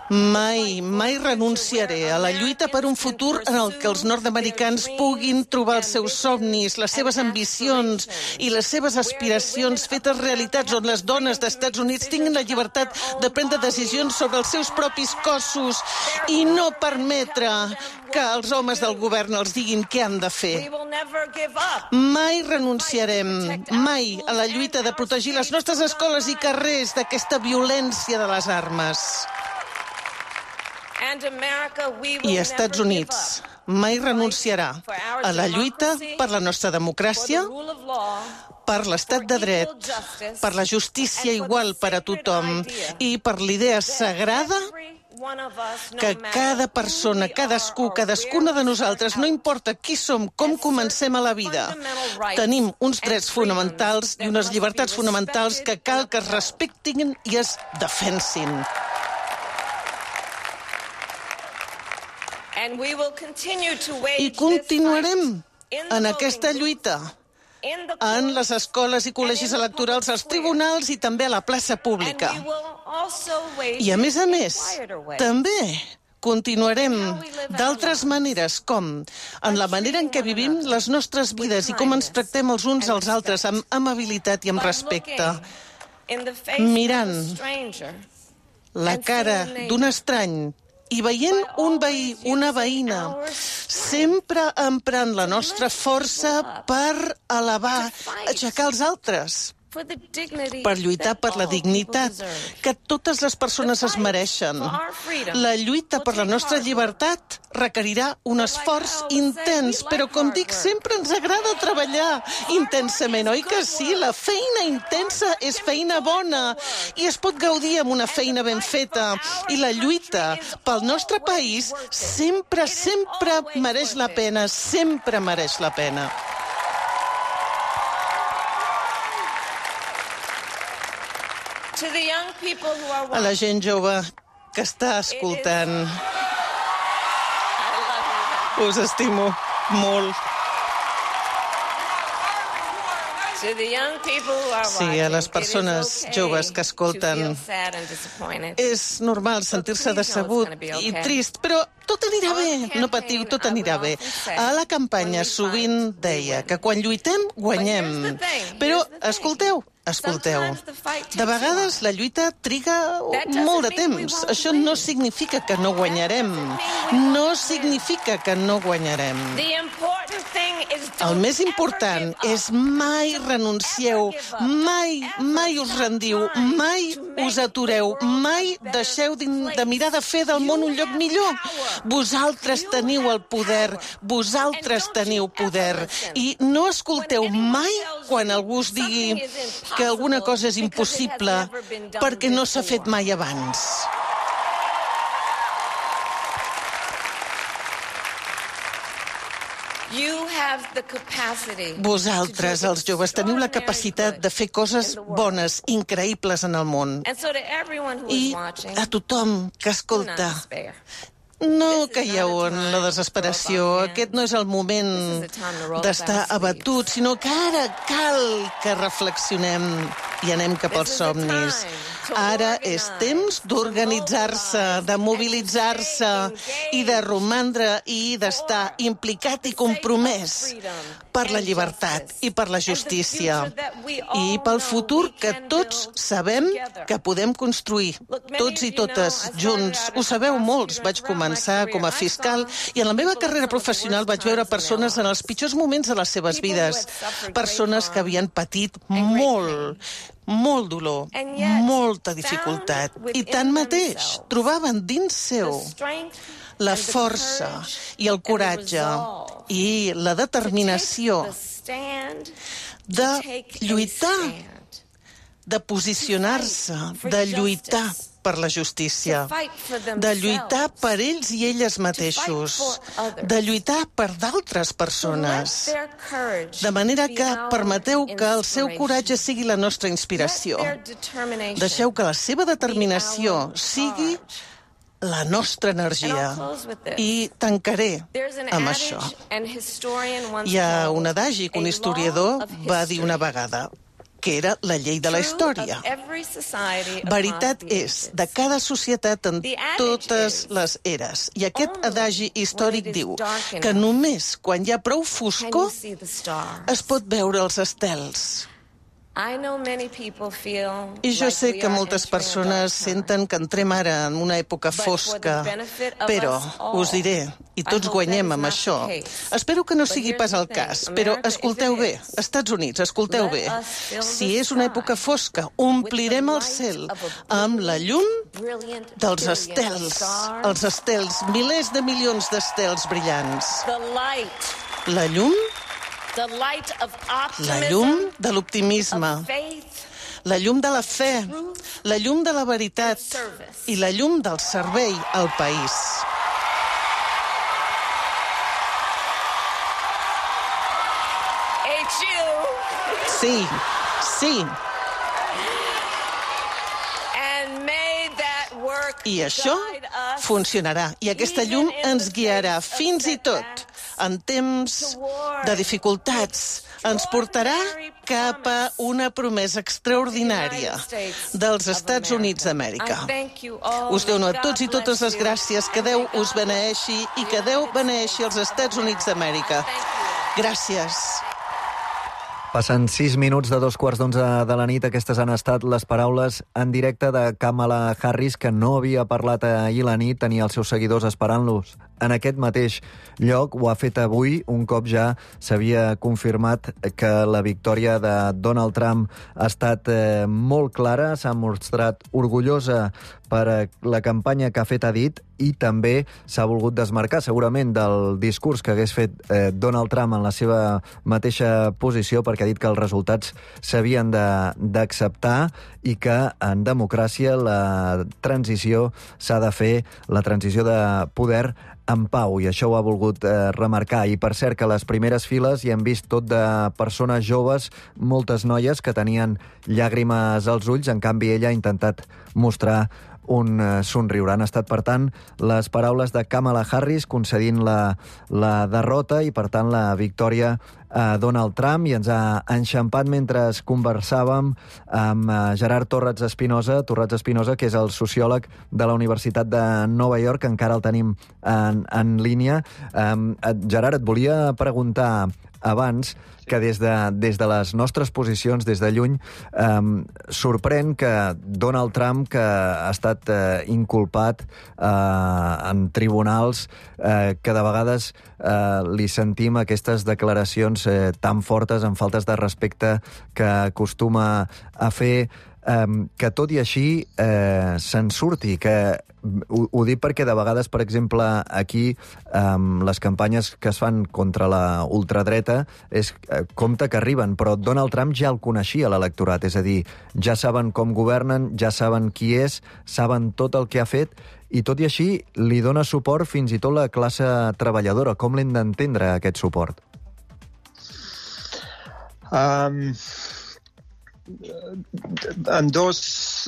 Mai renunciaré a la lluita per un futur en el que els nord-americans puguin trobar els seus somnis, les seves ambicions i les seves aspiracions fetes realitats, on les dones d'Estats Units tinguin la llibertat de prendre decisions sobre els seus propis cossos i no permetre que els homes del govern els diguin què han de fer. Mai renunciarem, mai, a la lluita de protegir les nostres escoles i carrers d'aquesta violència de les armes. I Estats Units mai renunciarà a la lluita per la nostra democràcia, per l'estat de dret, per la justícia igual per a tothom i per l'idea sagrada que cada persona, cadascuna de nosaltres, no importa qui som, com comencem a la vida, tenim uns drets fonamentals i unes llibertats fonamentals que cal que es respectin i es defensin. I continuarem en aquesta lluita, en les escoles i col·legis electorals, als tribunals i també a la plaça pública. I a més, també continuarem d'altres maneres, com en la manera en què vivim les nostres vides i com ens tractem els uns als altres amb amabilitat i amb respecte, mirant la cara d'un estrany i veient un veí, una veïna, sempre emprant la nostra força per elevar, aixecar els altres, per lluitar per la dignitat que totes les persones es mereixen. La lluita per la nostra llibertat requerirà un esforç intens, però com dic, sempre ens agrada treballar intensament, oi que sí? La feina intensa és feina bona i es pot gaudir amb una feina ben feta. I la lluita pel nostre país sempre mereix la pena, sempre mereix la pena. A la gent jove que està escoltant, us estimo molt. Sí, a les persones joves que escolten, és normal sentir-se decebut i trist, però tot anirà bé, no patiu, tot anirà bé. A la campanya sovint deia que quan lluitem, guanyem. Però escolteu, de vegades la lluita triga molt de temps. Això no significa que no guanyarem. No significa que no guanyarem. El més important és mai renuncieu, mai us rendiu, mai us atureu, mai deixeu de mirar de fer del món un lloc millor. Vosaltres teniu el poder, vosaltres teniu poder. I no escolteu mai quan algú us digui que alguna cosa és impossible perquè no s'ha fet mai abans. Vosaltres, els joves, teniu la capacitat de fer coses bones, increïbles en el món. I a tothom que escolta, no caieu en la desesperació. Aquest no és el moment d'estar abatut, sinó que ara cal que reflexionem. i anem cap als somnis. Ara és temps d'organitzar-se, de mobilitzar-se i de romandre i d'estar implicat i compromès per la llibertat i per la justícia i pel futur que tots sabem que podem construir, tots i totes junts. Ho sabeu molts, vaig començar com a fiscal i en la meva carrera professional vaig veure persones en els pitjors moments de les seves vides, persones que havien patit molt dolor, molta dificultat, i tanmateix trobaven dins seu la força i el coratge i la determinació de lluitar, de posicionar-se, de lluitar per la justícia, de lluitar per ells i elles mateixos, de lluitar per d'altres persones. De manera que permeteu que el seu coratge sigui la nostra inspiració. Deixeu que la seva determinació sigui la nostra energia. I tancaré amb això. Hi ha un adagi que un historiador va dir una vegada, que era la llei de la història. Veritat és de cada societat en totes les eres. I aquest adagi històric diu que només quan hi ha prou foscor es pot veure els estels. I jo sé que moltes persones senten que entrem ara en una època fosca, però us diré, i tots guanyem amb això, espero que no sigui pas el cas, però escolteu bé, Estats Units, escolteu bé, si és una època fosca, omplirem el cel amb la llum dels estels, els estels, milers de milions d'estels brillants. La llum de l'optimisme, la llum de la fe, la llum de la veritat i la llum del servei al país. Sí. I això funcionarà. I aquesta llum ens guiarà fins i tot en temps de dificultats. Ens portarà cap a una promesa extraordinària dels Estats Units d'Amèrica. Us dono a tots i totes les gràcies. Que Déu us beneeixi i que Déu beneeixi els Estats Units d'Amèrica. Gràcies. Passen 6 minuts de 2:15 de la nit. Aquestes han estat les paraules en directe de Kamala Harris, que no havia parlat ahir la nit, tenia els seus seguidors esperant-los en aquest mateix lloc. Ho ha fet avui, un cop ja s'havia confirmat que la victòria de Donald Trump ha estat molt clara, s'ha mostrat orgullosa per la campanya que ha fet, ha dit, i també s'ha volgut desmarcar segurament del discurs que hagués fet Donald Trump en la seva mateixa posició, perquè ha dit que els resultats s'havien d'acceptar i que en democràcia la transició s'ha de fer, la transició de poder en pau, i això ho ha volgut remarcar. I per cert que a les primeres files hi hem vist tot de persones joves, moltes noies que tenien llàgrimes als ulls, en canvi ella ha intentat mostrar un somriure. Han estat, per tant, les paraules de Kamala Harris concedint la derrota i, per tant, la victòria a Donald Trump, i ens ha enxampat mentre conversàvem amb Gerard Torrats Espinosa, que és el sociòleg de la Universitat de Nova York, que encara el tenim en línia. Gerard, et volia preguntar abans que des de les nostres posicions, des de lluny, sorprèn que Donald Trump, que ha estat inculpat en tribunals, que de vegades li sentim aquestes declaracions tan fortes, amb faltes de respecte que acostuma a fer, que tot i així se'n surti, que ho dic perquè de vegades, per exemple, aquí les campanyes que es fan contra la ultradreta és compte que arriben, però Donald Trump ja el coneixia l'electorat, és a dir, ja saben com governen, ja saben qui és, saben tot el que ha fet, i tot i així li dona suport fins i tot la classe treballadora. Com l'hem d'entendre, aquest suport? En dos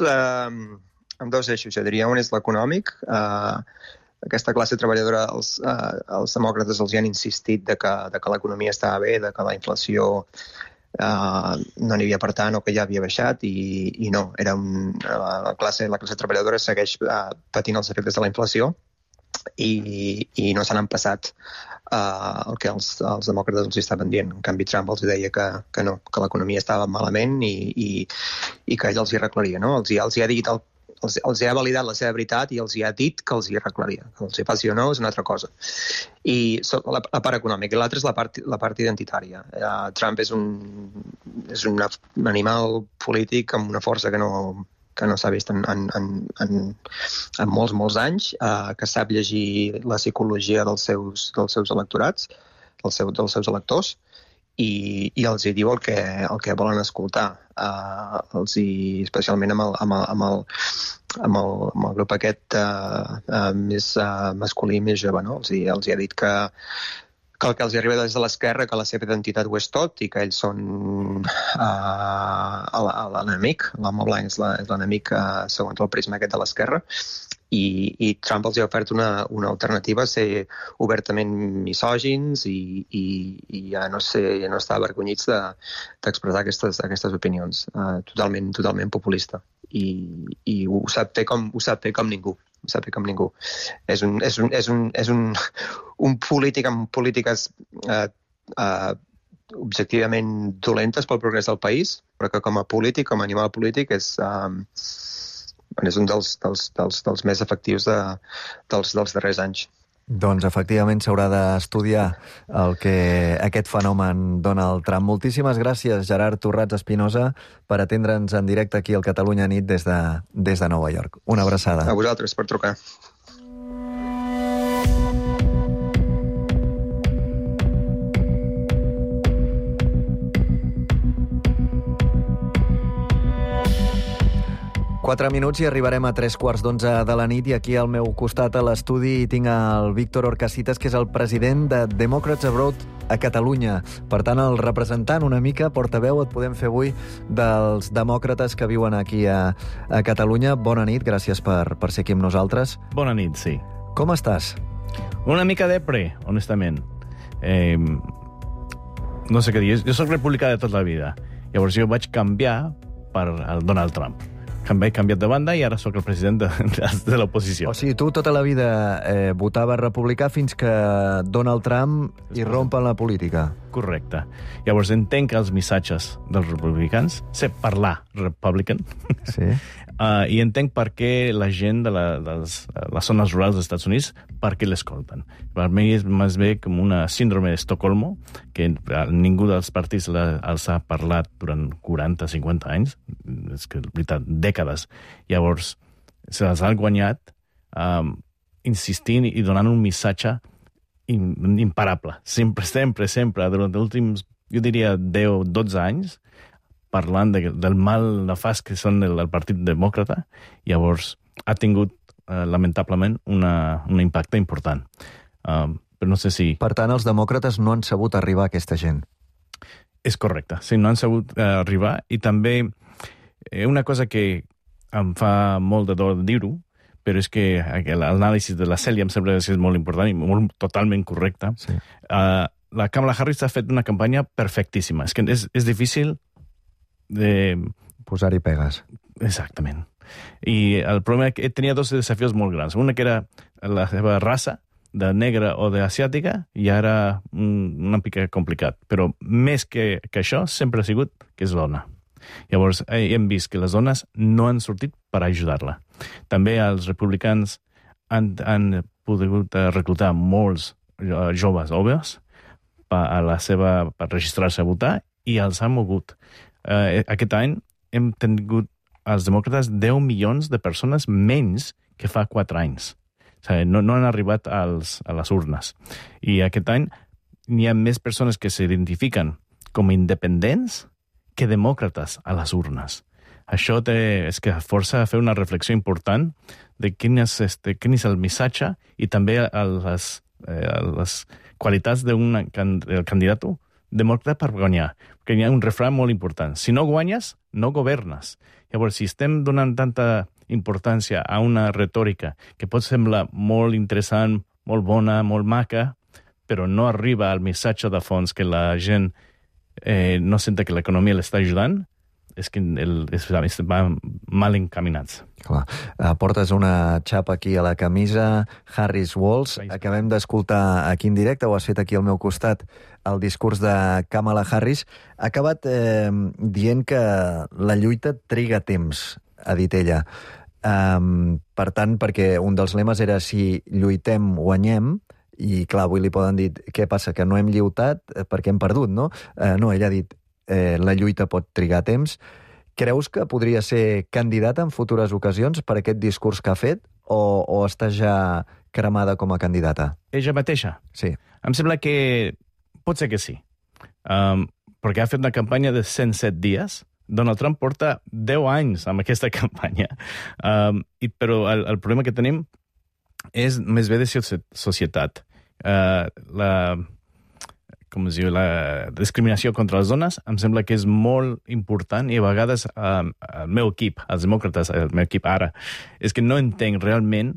eixos, jo diria. Un és l'econòmic. Aquesta classe treballadora, els demòcrates els hi han insistit de que l'economia estava bé, de que la inflació no n'hi havia per tant o que ja havia baixat i no, era la classe treballadora segueix patint els efectes de la inflació i no se n'han passat el que els demòcrates els estaven dient. En canvi, Trump els deia que no, que l'economia estava malament i que ell els hi arreglaria, no? Els hi ha dit els ha validat la seva veritat i els hi ha dit que els hi arreglaria. Que els hi faci o no és una altra cosa. I la part econòmica. I l'altra és la part identitària. Trump és un animal polític amb una força que no s'ha vist en molts anys, que sap llegir la psicologia dels seus electorats, dels seus electors, i els hi diu el que volen escoltar. Especialment amb el grup aquest més masculí, més jove, no? Els hi ha dit que el que els arriba des de l'esquerra, que la seva identitat ho és tot i que ells són l'enemic, l'home blanc és l'enemic segons el prisma aquest de l'esquerra, i Trump els ha ofert una alternativa a ser obertament misògins i ja no estar avergonyits d'expressar aquestes opinions. Totalment populista. I ho sap fer com ningú. És un polític amb polítiques objectivament dolentes pel progrés del país, però que com a polític, com a animal polític, és un dels més efectius dels darrers anys. Doncs efectivament s'haurà d'estudiar el que aquest fenomen Donald Trump. Moltíssimes gràcies, Gerard Torrats Espinosa, per atendre'ns en directe aquí al Catalunya Nit des de Nova York. Una abraçada. A vosaltres per trucar. Quatre minuts i arribarem a 11:03 de la nit i aquí al meu costat a l'estudi tinc el Víctor Orcasitas, que és el president de Democrats Abroad a Catalunya. Per tant, el representant una mica, portaveu, et podem fer avui dels demòcrates que viuen aquí a Catalunya. Bona nit, gràcies per ser aquí amb nosaltres. Bona nit, sí. Com estàs? Una mica depre, honestament. No sé què dir. Jo soc republicà de tota la vida. Llavors jo vaig canviar per el Donald Trump. He canviat de banda i ara sóc el president de l'oposició. O sigui, tu tota la vida votaves republicà fins que Donald Trump irrompa en la política. Correcte. Llavors entenc els missatges dels republicans, sé parlar republican, sí. I entenc per què la gent de les zones rurals dels Estats Units, per què l'escolten. Per mi és més bé com una síndrome d'Estocolmo, que ningú dels partits els ha parlat durant 40-50 anys, és que, en veritat, dècades. Llavors, se les han guanyat insistint i donant un missatge imparable. Sempre, durant els últims, jo diria, 10-12 anys, parlant del mal nefast que són el Partit Demòcrata, llavors ha tingut, lamentablement, un impacte important. Però no sé si... Per tant, els demòcrates no han sabut arribar a aquesta gent. És correcte, sí, no han sabut arribar, i també una cosa que em fa molt de dol dir-ho, però és que l'anàlisi de la Cèlia em sembla que és molt important i totalment correcte. Sí. La Kamala Harris ha fet una campanya perfectíssima. És que és difícil de... posar-hi pegues. Exactament. I el problema és que tenia dos desafios molt grans. Una que era la seva raça, de negra o d'asiàtica, i ara una mica complicat. Però més que això, sempre ha sigut que és dona. Llavors, hem vist que les dones no han sortit per ajudar-la. També els republicans han pogut reclutar molts joves homes per registrar-se a votar i els han mogut. Aquest any hem tingut els demòcrates 10 milions de persones menys que fa 4 anys. O sigui, no han arribat a les urnes. I aquest any n'hi ha més persones que s'identifiquen com independents que demòcrates a les urnes. Això és que força a fer una reflexió important de quin és el missatge i també les qualitats del candidat demòcrata per guanyar. Perquè hi ha un refrany molt important. Si no guanyes, no governes. Llavors, si estem donant tanta importància a una retòrica que pot semblar molt interessant, molt bona, molt maca, però no arriba al missatge de fons que la gent no senta que l'economia l'està ajudant, és que van mal encaminats. Clar. Portes una xapa aquí a la camisa, Harris Walls. Acabem d'escoltar aquí en directe, ho has fet aquí al meu costat, el discurs de Kamala Harris. Ha acabat dient que la lluita triga temps, ha dit ella. Per tant, perquè un dels lemes era si lluitem, guanyem, i clar, avui li poden dir què passa, que no hem lluitat perquè hem perdut, no? No, ella ha dit la lluita pot trigar temps. Creus que podria ser candidata en futures ocasions per aquest discurs que ha fet o està ja cremada com a candidata? Ella mateixa? Sí. Em sembla que pot ser que sí. Perquè ha fet una campanya de 107 dies. Donald Trump porta 10 anys amb aquesta campanya. Però el problema que tenim és més bé de societat. Com es diu, la discriminació contra les dones em sembla que és molt important i a vegades el meu equip, els demòcrates, el meu equip ara, és que no entenc realment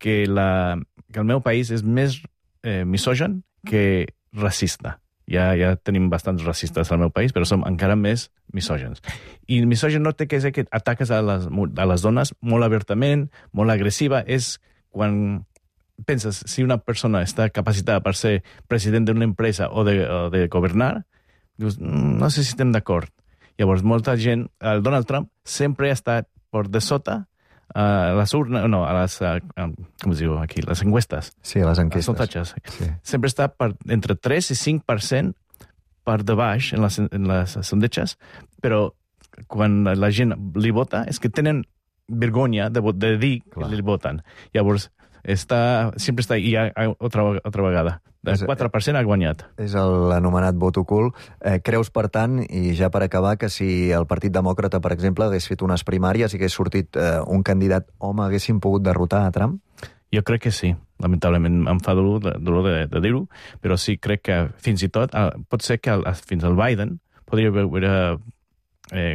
que el meu país és més misògin que racista. Ja tenim bastants racistes al meu país, però som encara més misògens. I misògin no té que ser que ataques a les dones molt obertament, molt agressiva, és quan penses, si una persona està capacitada per ser president d'una empresa o de governar, dius, no sé si estem d'acord. Llavors, molta gent, el Donald Trump sempre ha estat per de sota a les urnes, no, a les, com es diu aquí, les enquestes. Sí, les enquestes. Les sondatges. Sí. Sempre està entre 3 i 5% per de baix en les sondatges, però quan la gent li vota és que tenen vergonya de dir que li voten. Llavors, sempre està, i altra vegada. De 4% ha guanyat. És l'anomenat vot ocult. Creus, per tant, i ja per acabar, que si el Partit Demòcrata, per exemple, hagués fet unes primàries i hagués sortit un candidat home, haguessin pogut derrotar a Trump? Jo crec que sí. Lamentablement em fa dolor de dir-ho, però sí, crec que fins i tot pot ser que fins al Biden podria haver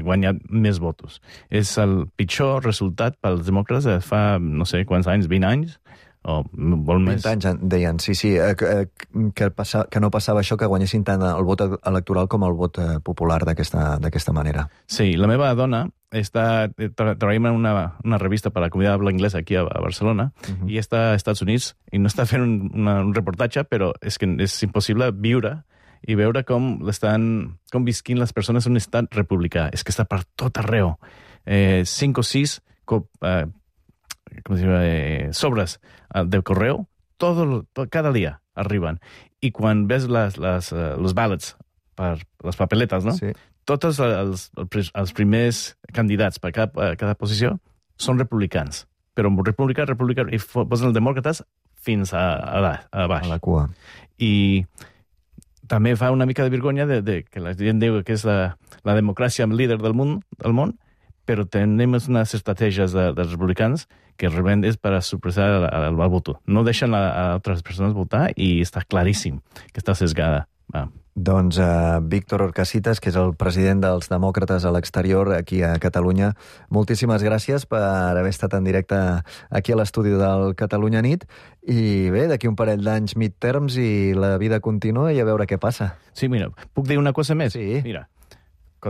guanyat més votos. És el pitjor resultat pels demòcrates de fa, no sé quants anys, 20 anys, o molt més. 20 anys, deien, sí, que no passava això, que guanyessin tant el vot electoral com el vot popular d'aquesta manera. Sí, la meva dona treballa en una revista per a la comunitat habla anglesa aquí a Barcelona, i està als Estats Units, i no està fent un reportatge, però és que és impossible viure i veure com visquin les persones en un estat republicà. És que està per tot arreu. 5 o 6 sobres de correu, cada dia arriben. I quan ves los ballots per les papeletes, no? Sí. Tots els primers candidats per cada posició són republicans. Però republicà, i posen els demòcrates fins a baix. A la cua. I també fa una mica de vergonya que la gent diu que és la democràcia líder del món, però tenim unes estratègies dels republicans que realment és per a supressar el vot. No deixen a altres persones votar i està claríssim que està sesgada. Doncs Víctor Orcasitas, que és el president dels demòcrates a l'exterior aquí a Catalunya, moltíssimes gràcies per haver estat en directe aquí a l'estudi del Catalunya Nit. I bé, d'aquí un parell d'anys midterms i la vida continua i a veure què passa. Sí, mira, puc dir una cosa més? Sí. Mira,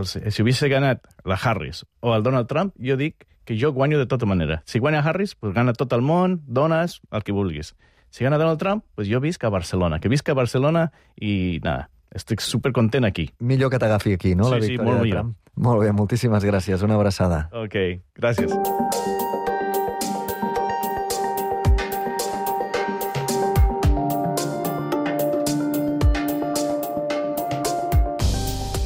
si hubiese ganat la Harris o el Donald Trump, jo dic que jo guanyo de tota manera. Si guanya Harris, pues gana tot el món, dones, el que vulguis. Si gana Donald Trump, pues jo visc a Barcelona. Que visc a Barcelona i nada, estic supercontent aquí. Millor que t'agafi aquí, no? Sí, la victòria molt de Trump. Molt bé, moltíssimes gràcies. Una abraçada. Ok, gràcies.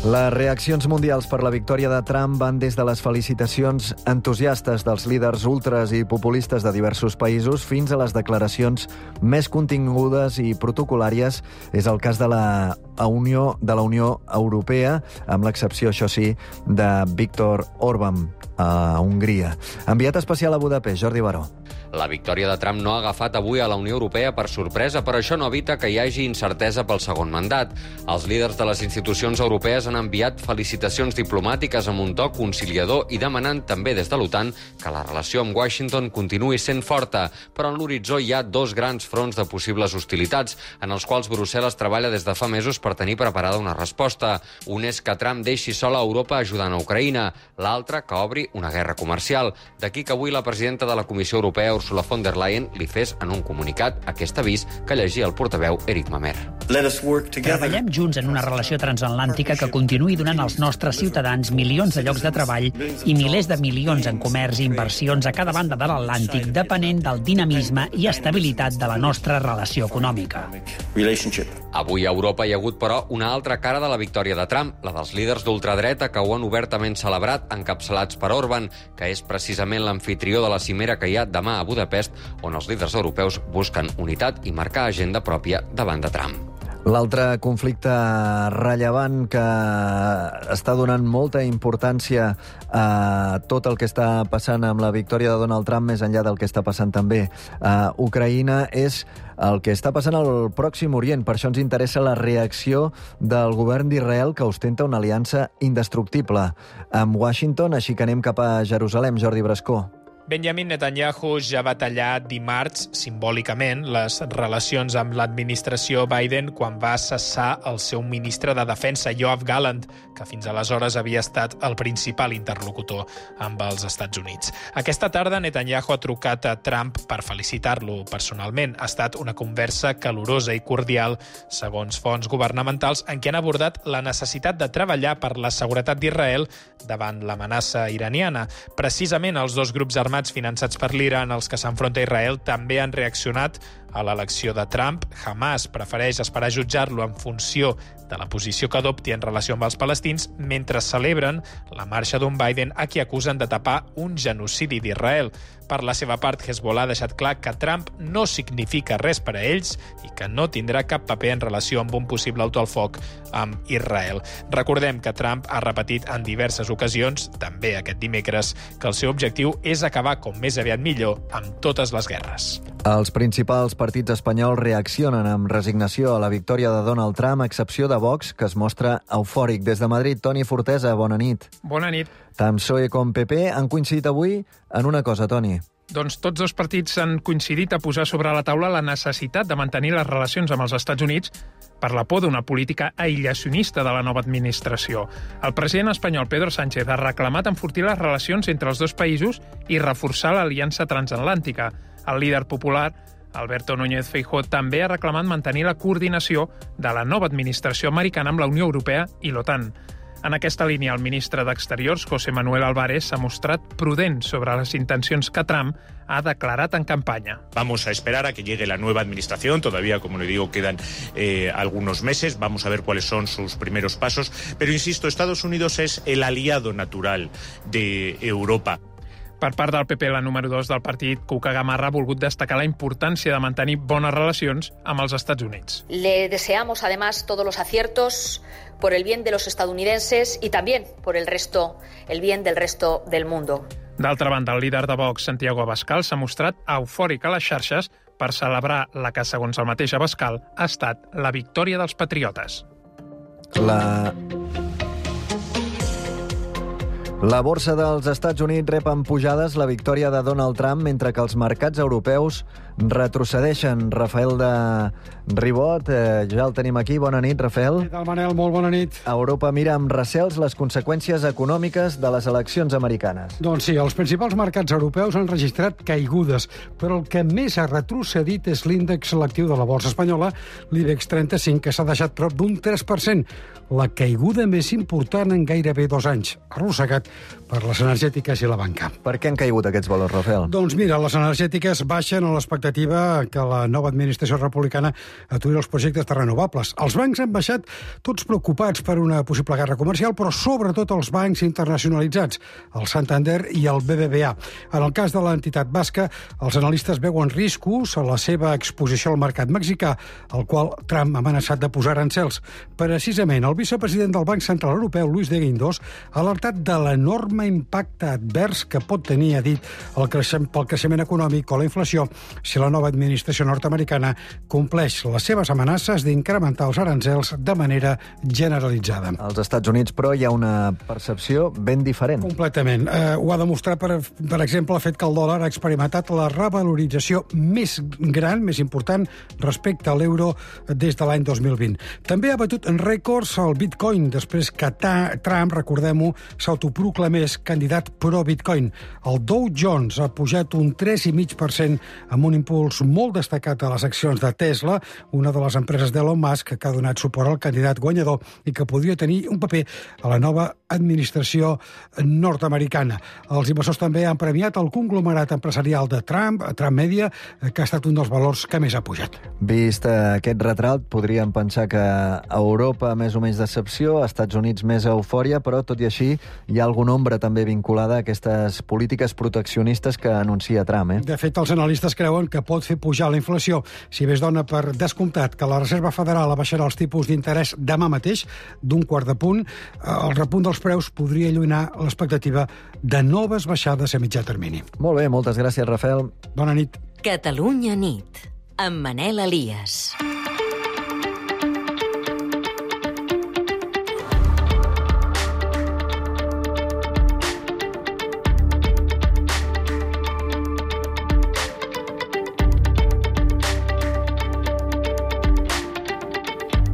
Les reaccions mundials per la victòria de Trump van des de les felicitacions entusiastes dels líders ultres i populistes de diversos països fins a les declaracions més contingudes i protocolàries. És el cas de la Unió Europea, amb l'excepció, això sí, de Viktor Orbán a Hongria. Enviat especial a Budapest, Jordi Baró. La victòria de Trump no ha agafat avui a la Unió Europea per sorpresa, però això no evita que hi hagi incertesa pel segon mandat. Els líders de les institucions europees han enviat felicitacions diplomàtiques amb un to conciliador i demanant també des de l'OTAN que la relació amb Washington continuï sent forta. Però en l'horitzó hi ha dos grans fronts de possibles hostilitats, en els quals Brussel·les treballa des de fa mesos per tenir preparada una resposta. Un és que Trump deixi sola Europa ajudant a Ucraïna, l'altre que obri una guerra comercial. D'aquí que avui la presidenta de la Comissió Europea, Ursula von der Leyen, li fes en un comunicat aquest avís que llegia el portaveu Eric Mamer. Treballem junts en una relació transatlàntica que continuï donant als nostres ciutadans milions de llocs de treball i milers de milions en comerç i inversions a cada banda de l'Atlàntic, depenent del dinamisme i estabilitat de la nostra relació econòmica. Avui a Europa hi ha hagut, però, una altra cara de la victòria de Trump, la dels líders d'ultradreta que ho han obertament celebrat, encapçalats per Orbán, que és precisament l'amfitrió de la cimera que hi ha demà a Budapest, on els líders europeus busquen unitat i marcar agenda pròpia davant de Trump. L'altre conflicte rellevant que està donant molta importància a tot el que està passant amb la victòria de Donald Trump, més enllà del que està passant també a Ucraïna, és el que està passant al Pròxim Orient. Per això ens interessa la reacció del govern d'Israel, que ostenta una aliança indestructible amb Washington, així que anem cap a Jerusalem. Jordi Brascó. Benjamin Netanyahu ja va tallar dimarts, simbòlicament, les relacions amb l'administració Biden quan va cessar el seu ministre de Defensa, Yoav Gallant, que fins aleshores havia estat el principal interlocutor amb els Estats Units. Aquesta tarda Netanyahu ha trucat a Trump per felicitar-lo personalment. Ha estat una conversa calorosa i cordial, segons fonts governamentals, en què han abordat la necessitat de treballar per la seguretat d'Israel davant l'amenaça iraniana. Precisament els dos grups armats finançats per l'Iran, els que s'enfronta a Israel, també han reaccionat a l'elecció de Trump. Hamas prefereix esperar a jutjar-lo en funció de la posició que adopti en relació amb els palestins, mentre celebren la marxa d'un Biden a qui acusen de tapar un genocidi d'Israel. Per la seva part, Hezbollah ha deixat clar que Trump no significa res per a ells i que no tindrà cap paper en relació amb un possible alto al foc amb Israel. Recordem que Trump ha repetit en diverses ocasions, també aquest dimecres, que el seu objectiu és acabar com més aviat millor amb totes les guerres. Els principals partits espanyols reaccionen amb resignació a la victòria de Donald Trump, a excepció de Vox, que es mostra eufòric. Des de Madrid, Toni Fortesa, bona nit. Bona nit. Tant PSOE com PP han coincidit avui en una cosa, Toni. Doncs tots dos partits han coincidit a posar sobre la taula la necessitat de mantenir les relacions amb els Estats Units per la por d'una política aïllacionista de la nova administració. El president espanyol Pedro Sánchez ha reclamat enfortir les relacions entre els dos països i reforçar l'aliança transatlàntica. El líder popular, Alberto Núñez Feijóo, també ha reclamat mantenir la coordinació de la nova administració americana amb la Unió Europea i l'OTAN. En aquesta línia, el ministre d'Exteriors, José Manuel Álvarez, s'ha mostrat prudent sobre les intencions que Trump ha declarat en campaña. Vamos a esperar a que llegue la nueva administración. Todavía, como le digo, quedan algunos meses. Vamos a ver cuáles son sus primeros pasos. Pero, insisto, Estados Unidos es el aliado natural de Europa. Per part del PP, la número 2 del partit, Cuca Gamarra, ha volgut destacar la importància de mantenir bones relacions amb els Estats Units. Le deseamos, además, todos los aciertos por el bien de los estadounidenses y también por el bien del resto del mundo. D'altra banda, el líder de Vox, Santiago Abascal, s'ha mostrat eufòric a les xarxes per celebrar la que, segons el mateix Abascal, ha estat la victòria dels patriotes. La borsa dels Estats Units rep en pujades la victòria de Donald Trump, mentre que els mercats europeus retrocedeixen. Rafael de Ribot, ja el tenim aquí. Bona nit, Rafael. Què tal, Manel? Molt bona nit. Europa mira amb recels les conseqüències econòmiques de les eleccions americanes. Doncs sí, els principals mercats europeus han registrat caigudes, però el que més ha retrocedit és l'índex selectiu de la borsa espanyola, l'IBEX 35, que s'ha deixat prop d'un 3%, la caiguda més important en gairebé 2 anys, arrossegat per les energètiques i la banca. Per què han caigut aquests valors, Rafael? Doncs mira, les energètiques baixen a l'expectativa que la nova administració republicana aturi els projectes de renovables. Els bancs han baixat tots preocupats per una possible guerra comercial, però sobretot els bancs internacionalitzats, el Santander i el BBVA. En el cas de l'entitat basca, els analistes veuen riscos a la seva exposició al mercat mexicà, el qual Trump ha amenaçat de posar aranzels. Precisament, el vicepresident del Banc Central Europeu, Luis de Guindos, ha alertat de la l'enorme impacte advers que pot tenir, ha dit, pel creixement econòmic o la inflació si la nova administració nord-americana compleix les seves amenaces d'incrementar els aranzels de manera generalitzada. Als Estats Units, però, hi ha una percepció ben diferent. Completament. Ho ha demostrat, per exemple, el fet que el dòlar ha experimentat la revalorització més gran, més important, respecte a l'euro des de l'any 2020. També ha batut en rècords el Bitcoin, després que Trump, recordem-ho, s'autoproclamés candidat pro-Bitcoin. El Dow Jones ha pujat un 3,5% amb un impuls molt destacat a les accions de Tesla, una de les empreses d'Elon Musk que ha donat suport al candidat guanyador i que podria tenir un paper a la nova administració nord-americana. Els inversors també han premiat el conglomerat empresarial de Trump Media, que ha estat un dels valors que més ha pujat. Vist aquest retrat, podríem pensar que a Europa més o menys decepció, a Estats Units més eufòria, però tot i així hi ha alguna ombra també vinculada a aquestes polítiques proteccionistes que anuncia Trump. De fet, els analistes creuen que pot fer pujar la inflació. Si bé es dona per descomptat que la Reserva Federal abaixarà els tipus d'interès demà mateix, d'un quart de punt, el repunt dels preus podria allunyar l'expectativa de noves baixades a mitjà termini. Molt bé, moltes gràcies, Rafael. Bona nit. Catalunya nit, amb Manel Elias.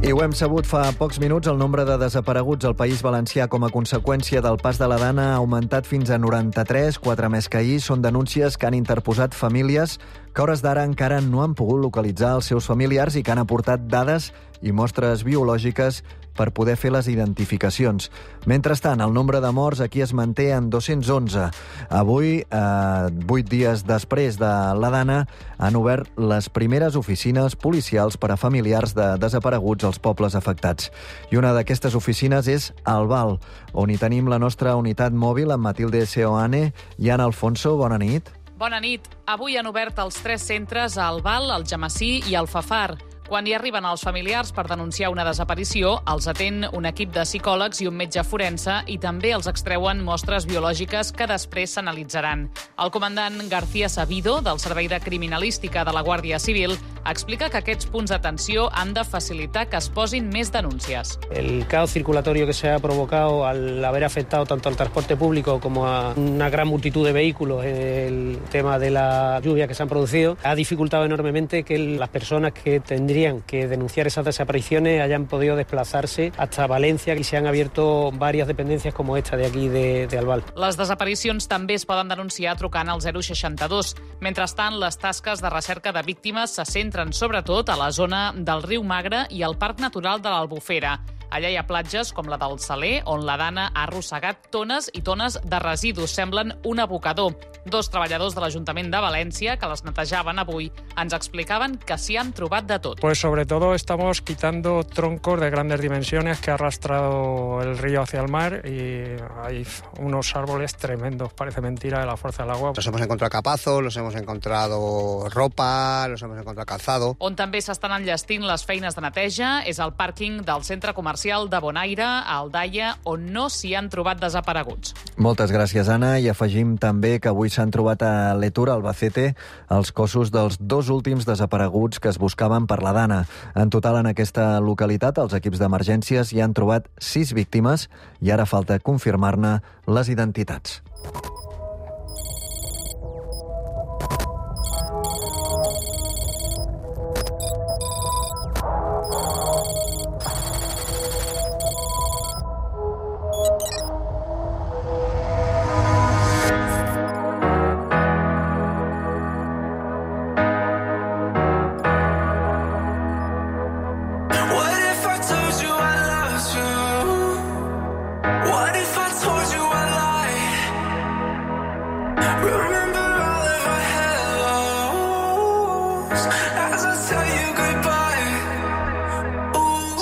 I ho hem sabut fa pocs minuts, el nombre de desapareguts al País Valencià com a conseqüència del pas de la Dana ha augmentat fins a 93, 4 més que ahir. Són denúncies que han interposat famílies que a hores d'ara encara no han pogut localitzar els seus familiars i que han aportat dades i mostres biològiques per poder fer les identificacions. Mentrestant, el nombre de morts aquí es manté en 211. Avui, 8 dies després de la Dana, han obert les primeres oficines policials per a familiars de desapareguts als pobles afectats. I una d'aquestes oficines és Albal, on hi tenim la nostra unitat mòbil amb Matilde Seoane i Ana Alfonso. Bona nit. Bona nit. Avui han obert els 3 centres a Albal, Algemesí i Alfafar. Quan hi arriben els familiars per denunciar una desaparició, els atén un equip de psicòlegs i un metge forense i també els extreuen mostres biològiques que després s'analitzaran. El comandant García Sabido, del Servei de Criminalística de la Guàrdia Civil, explica que aquests punts d'atenció han de facilitar que es posin més denúncies. El caos circulatorio que se ha provocado al haber afectado tanto al transporte público como a una gran multitud de vehículos, el tema de la lluvia que se han producido, ha dificultado enormemente que las personas que tendrían que denunciar esas desapariciones hayan podido desplazarse hasta Valencia y se han abierto varias dependencias como esta de aquí de Albal. Les desaparicions també es poden denunciar trucant al 062. Mentrestant, les tasques de recerca de víctimes se centren sobretot a la zona del riu Magre i al Parc Natural de l'Albufera. Allà hi ha platges com la del Saler, on la Dana ha arrossegat tones i tones de residus. Semblen un abocador. 2 treballadors de l'Ajuntament de València, que les netejaven avui, ens explicaven que s'hi han trobat de tot. Pues sobre todo estamos quitando troncos de grandes dimensiones que ha arrastrado el río hacia el mar y hay unos árboles tremendos, parece mentira, de la fuerza del agua. Nos hemos encontrado capazos, nos hemos encontrado ropa, nos hemos encontrado calzado. On també s'estan enllestint les feines de neteja és el pàrquing del centre comercial de Bonaire, a Aldaia, on no s'hi han trobat desapareguts. Moltes gràcies, Anna, i afegim també que avui s'han trobat a Letur, Albacete, els cossos dels 2 últims desapareguts que es buscaven per la Dana. En total, en aquesta localitat, els equips d'emergències hi han trobat 6 víctimes i ara falta confirmar-ne les identitats.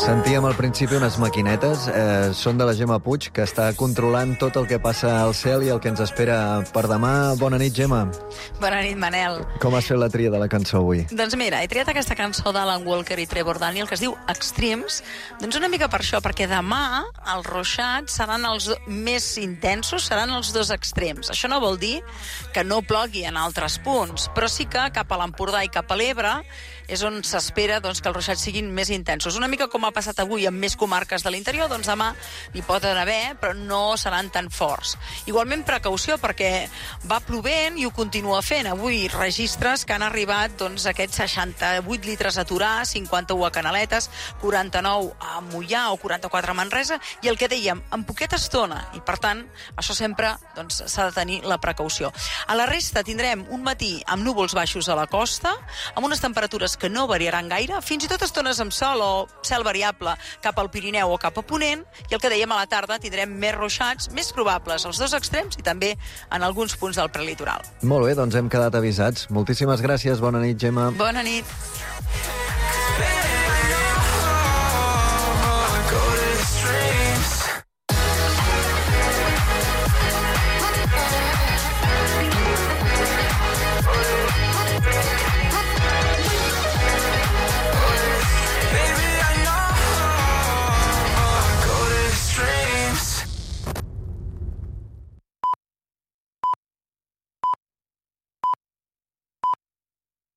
Sentíem al principi unes maquinetes. Són de la Gemma Puig, que està controlant tot el que passa al cel i el que ens espera per demà. Bona nit, Gemma. Bona nit, Manel. Com has fet la tria de la cançó avui? Doncs mira, he triat aquesta cançó d'Alan Walker i Trevor Daniel, que es diu Extremes, doncs una mica per això, perquè demà els ruixats seran els més intensos, seran els dos extrems. Això no vol dir que no plogui en altres punts, però sí que cap a l'Empordà i cap a l'Ebre és on s'espera doncs, que els ruixats siguin més intensos. Una mica com ha passat avui amb més comarques de l'interior, doncs demà n'hi poden haver, però no seran tan forts. Igualment, precaució, perquè va plovent i ho continua fent. Avui registres que han arribat doncs, aquests 68 litres a Torà, 51 a Canaletes, 49 a Moià o 44 a Manresa, i el que dèiem, en poqueta estona, i per tant, això sempre doncs, s'ha de tenir la precaució. A la resta tindrem un matí amb núvols baixos a la costa, amb unes temperatures que no variaran gaire, fins i tot estones amb sol o cel variable cap al Pirineu o cap a Ponent, i el que dèiem a la tarda tindrem més ruixats, més probables als dos extrems i també en alguns punts del prelitoral. Molt bé, doncs hem quedat avisats. Moltíssimes gràcies, bona nit, Gemma. Bona nit.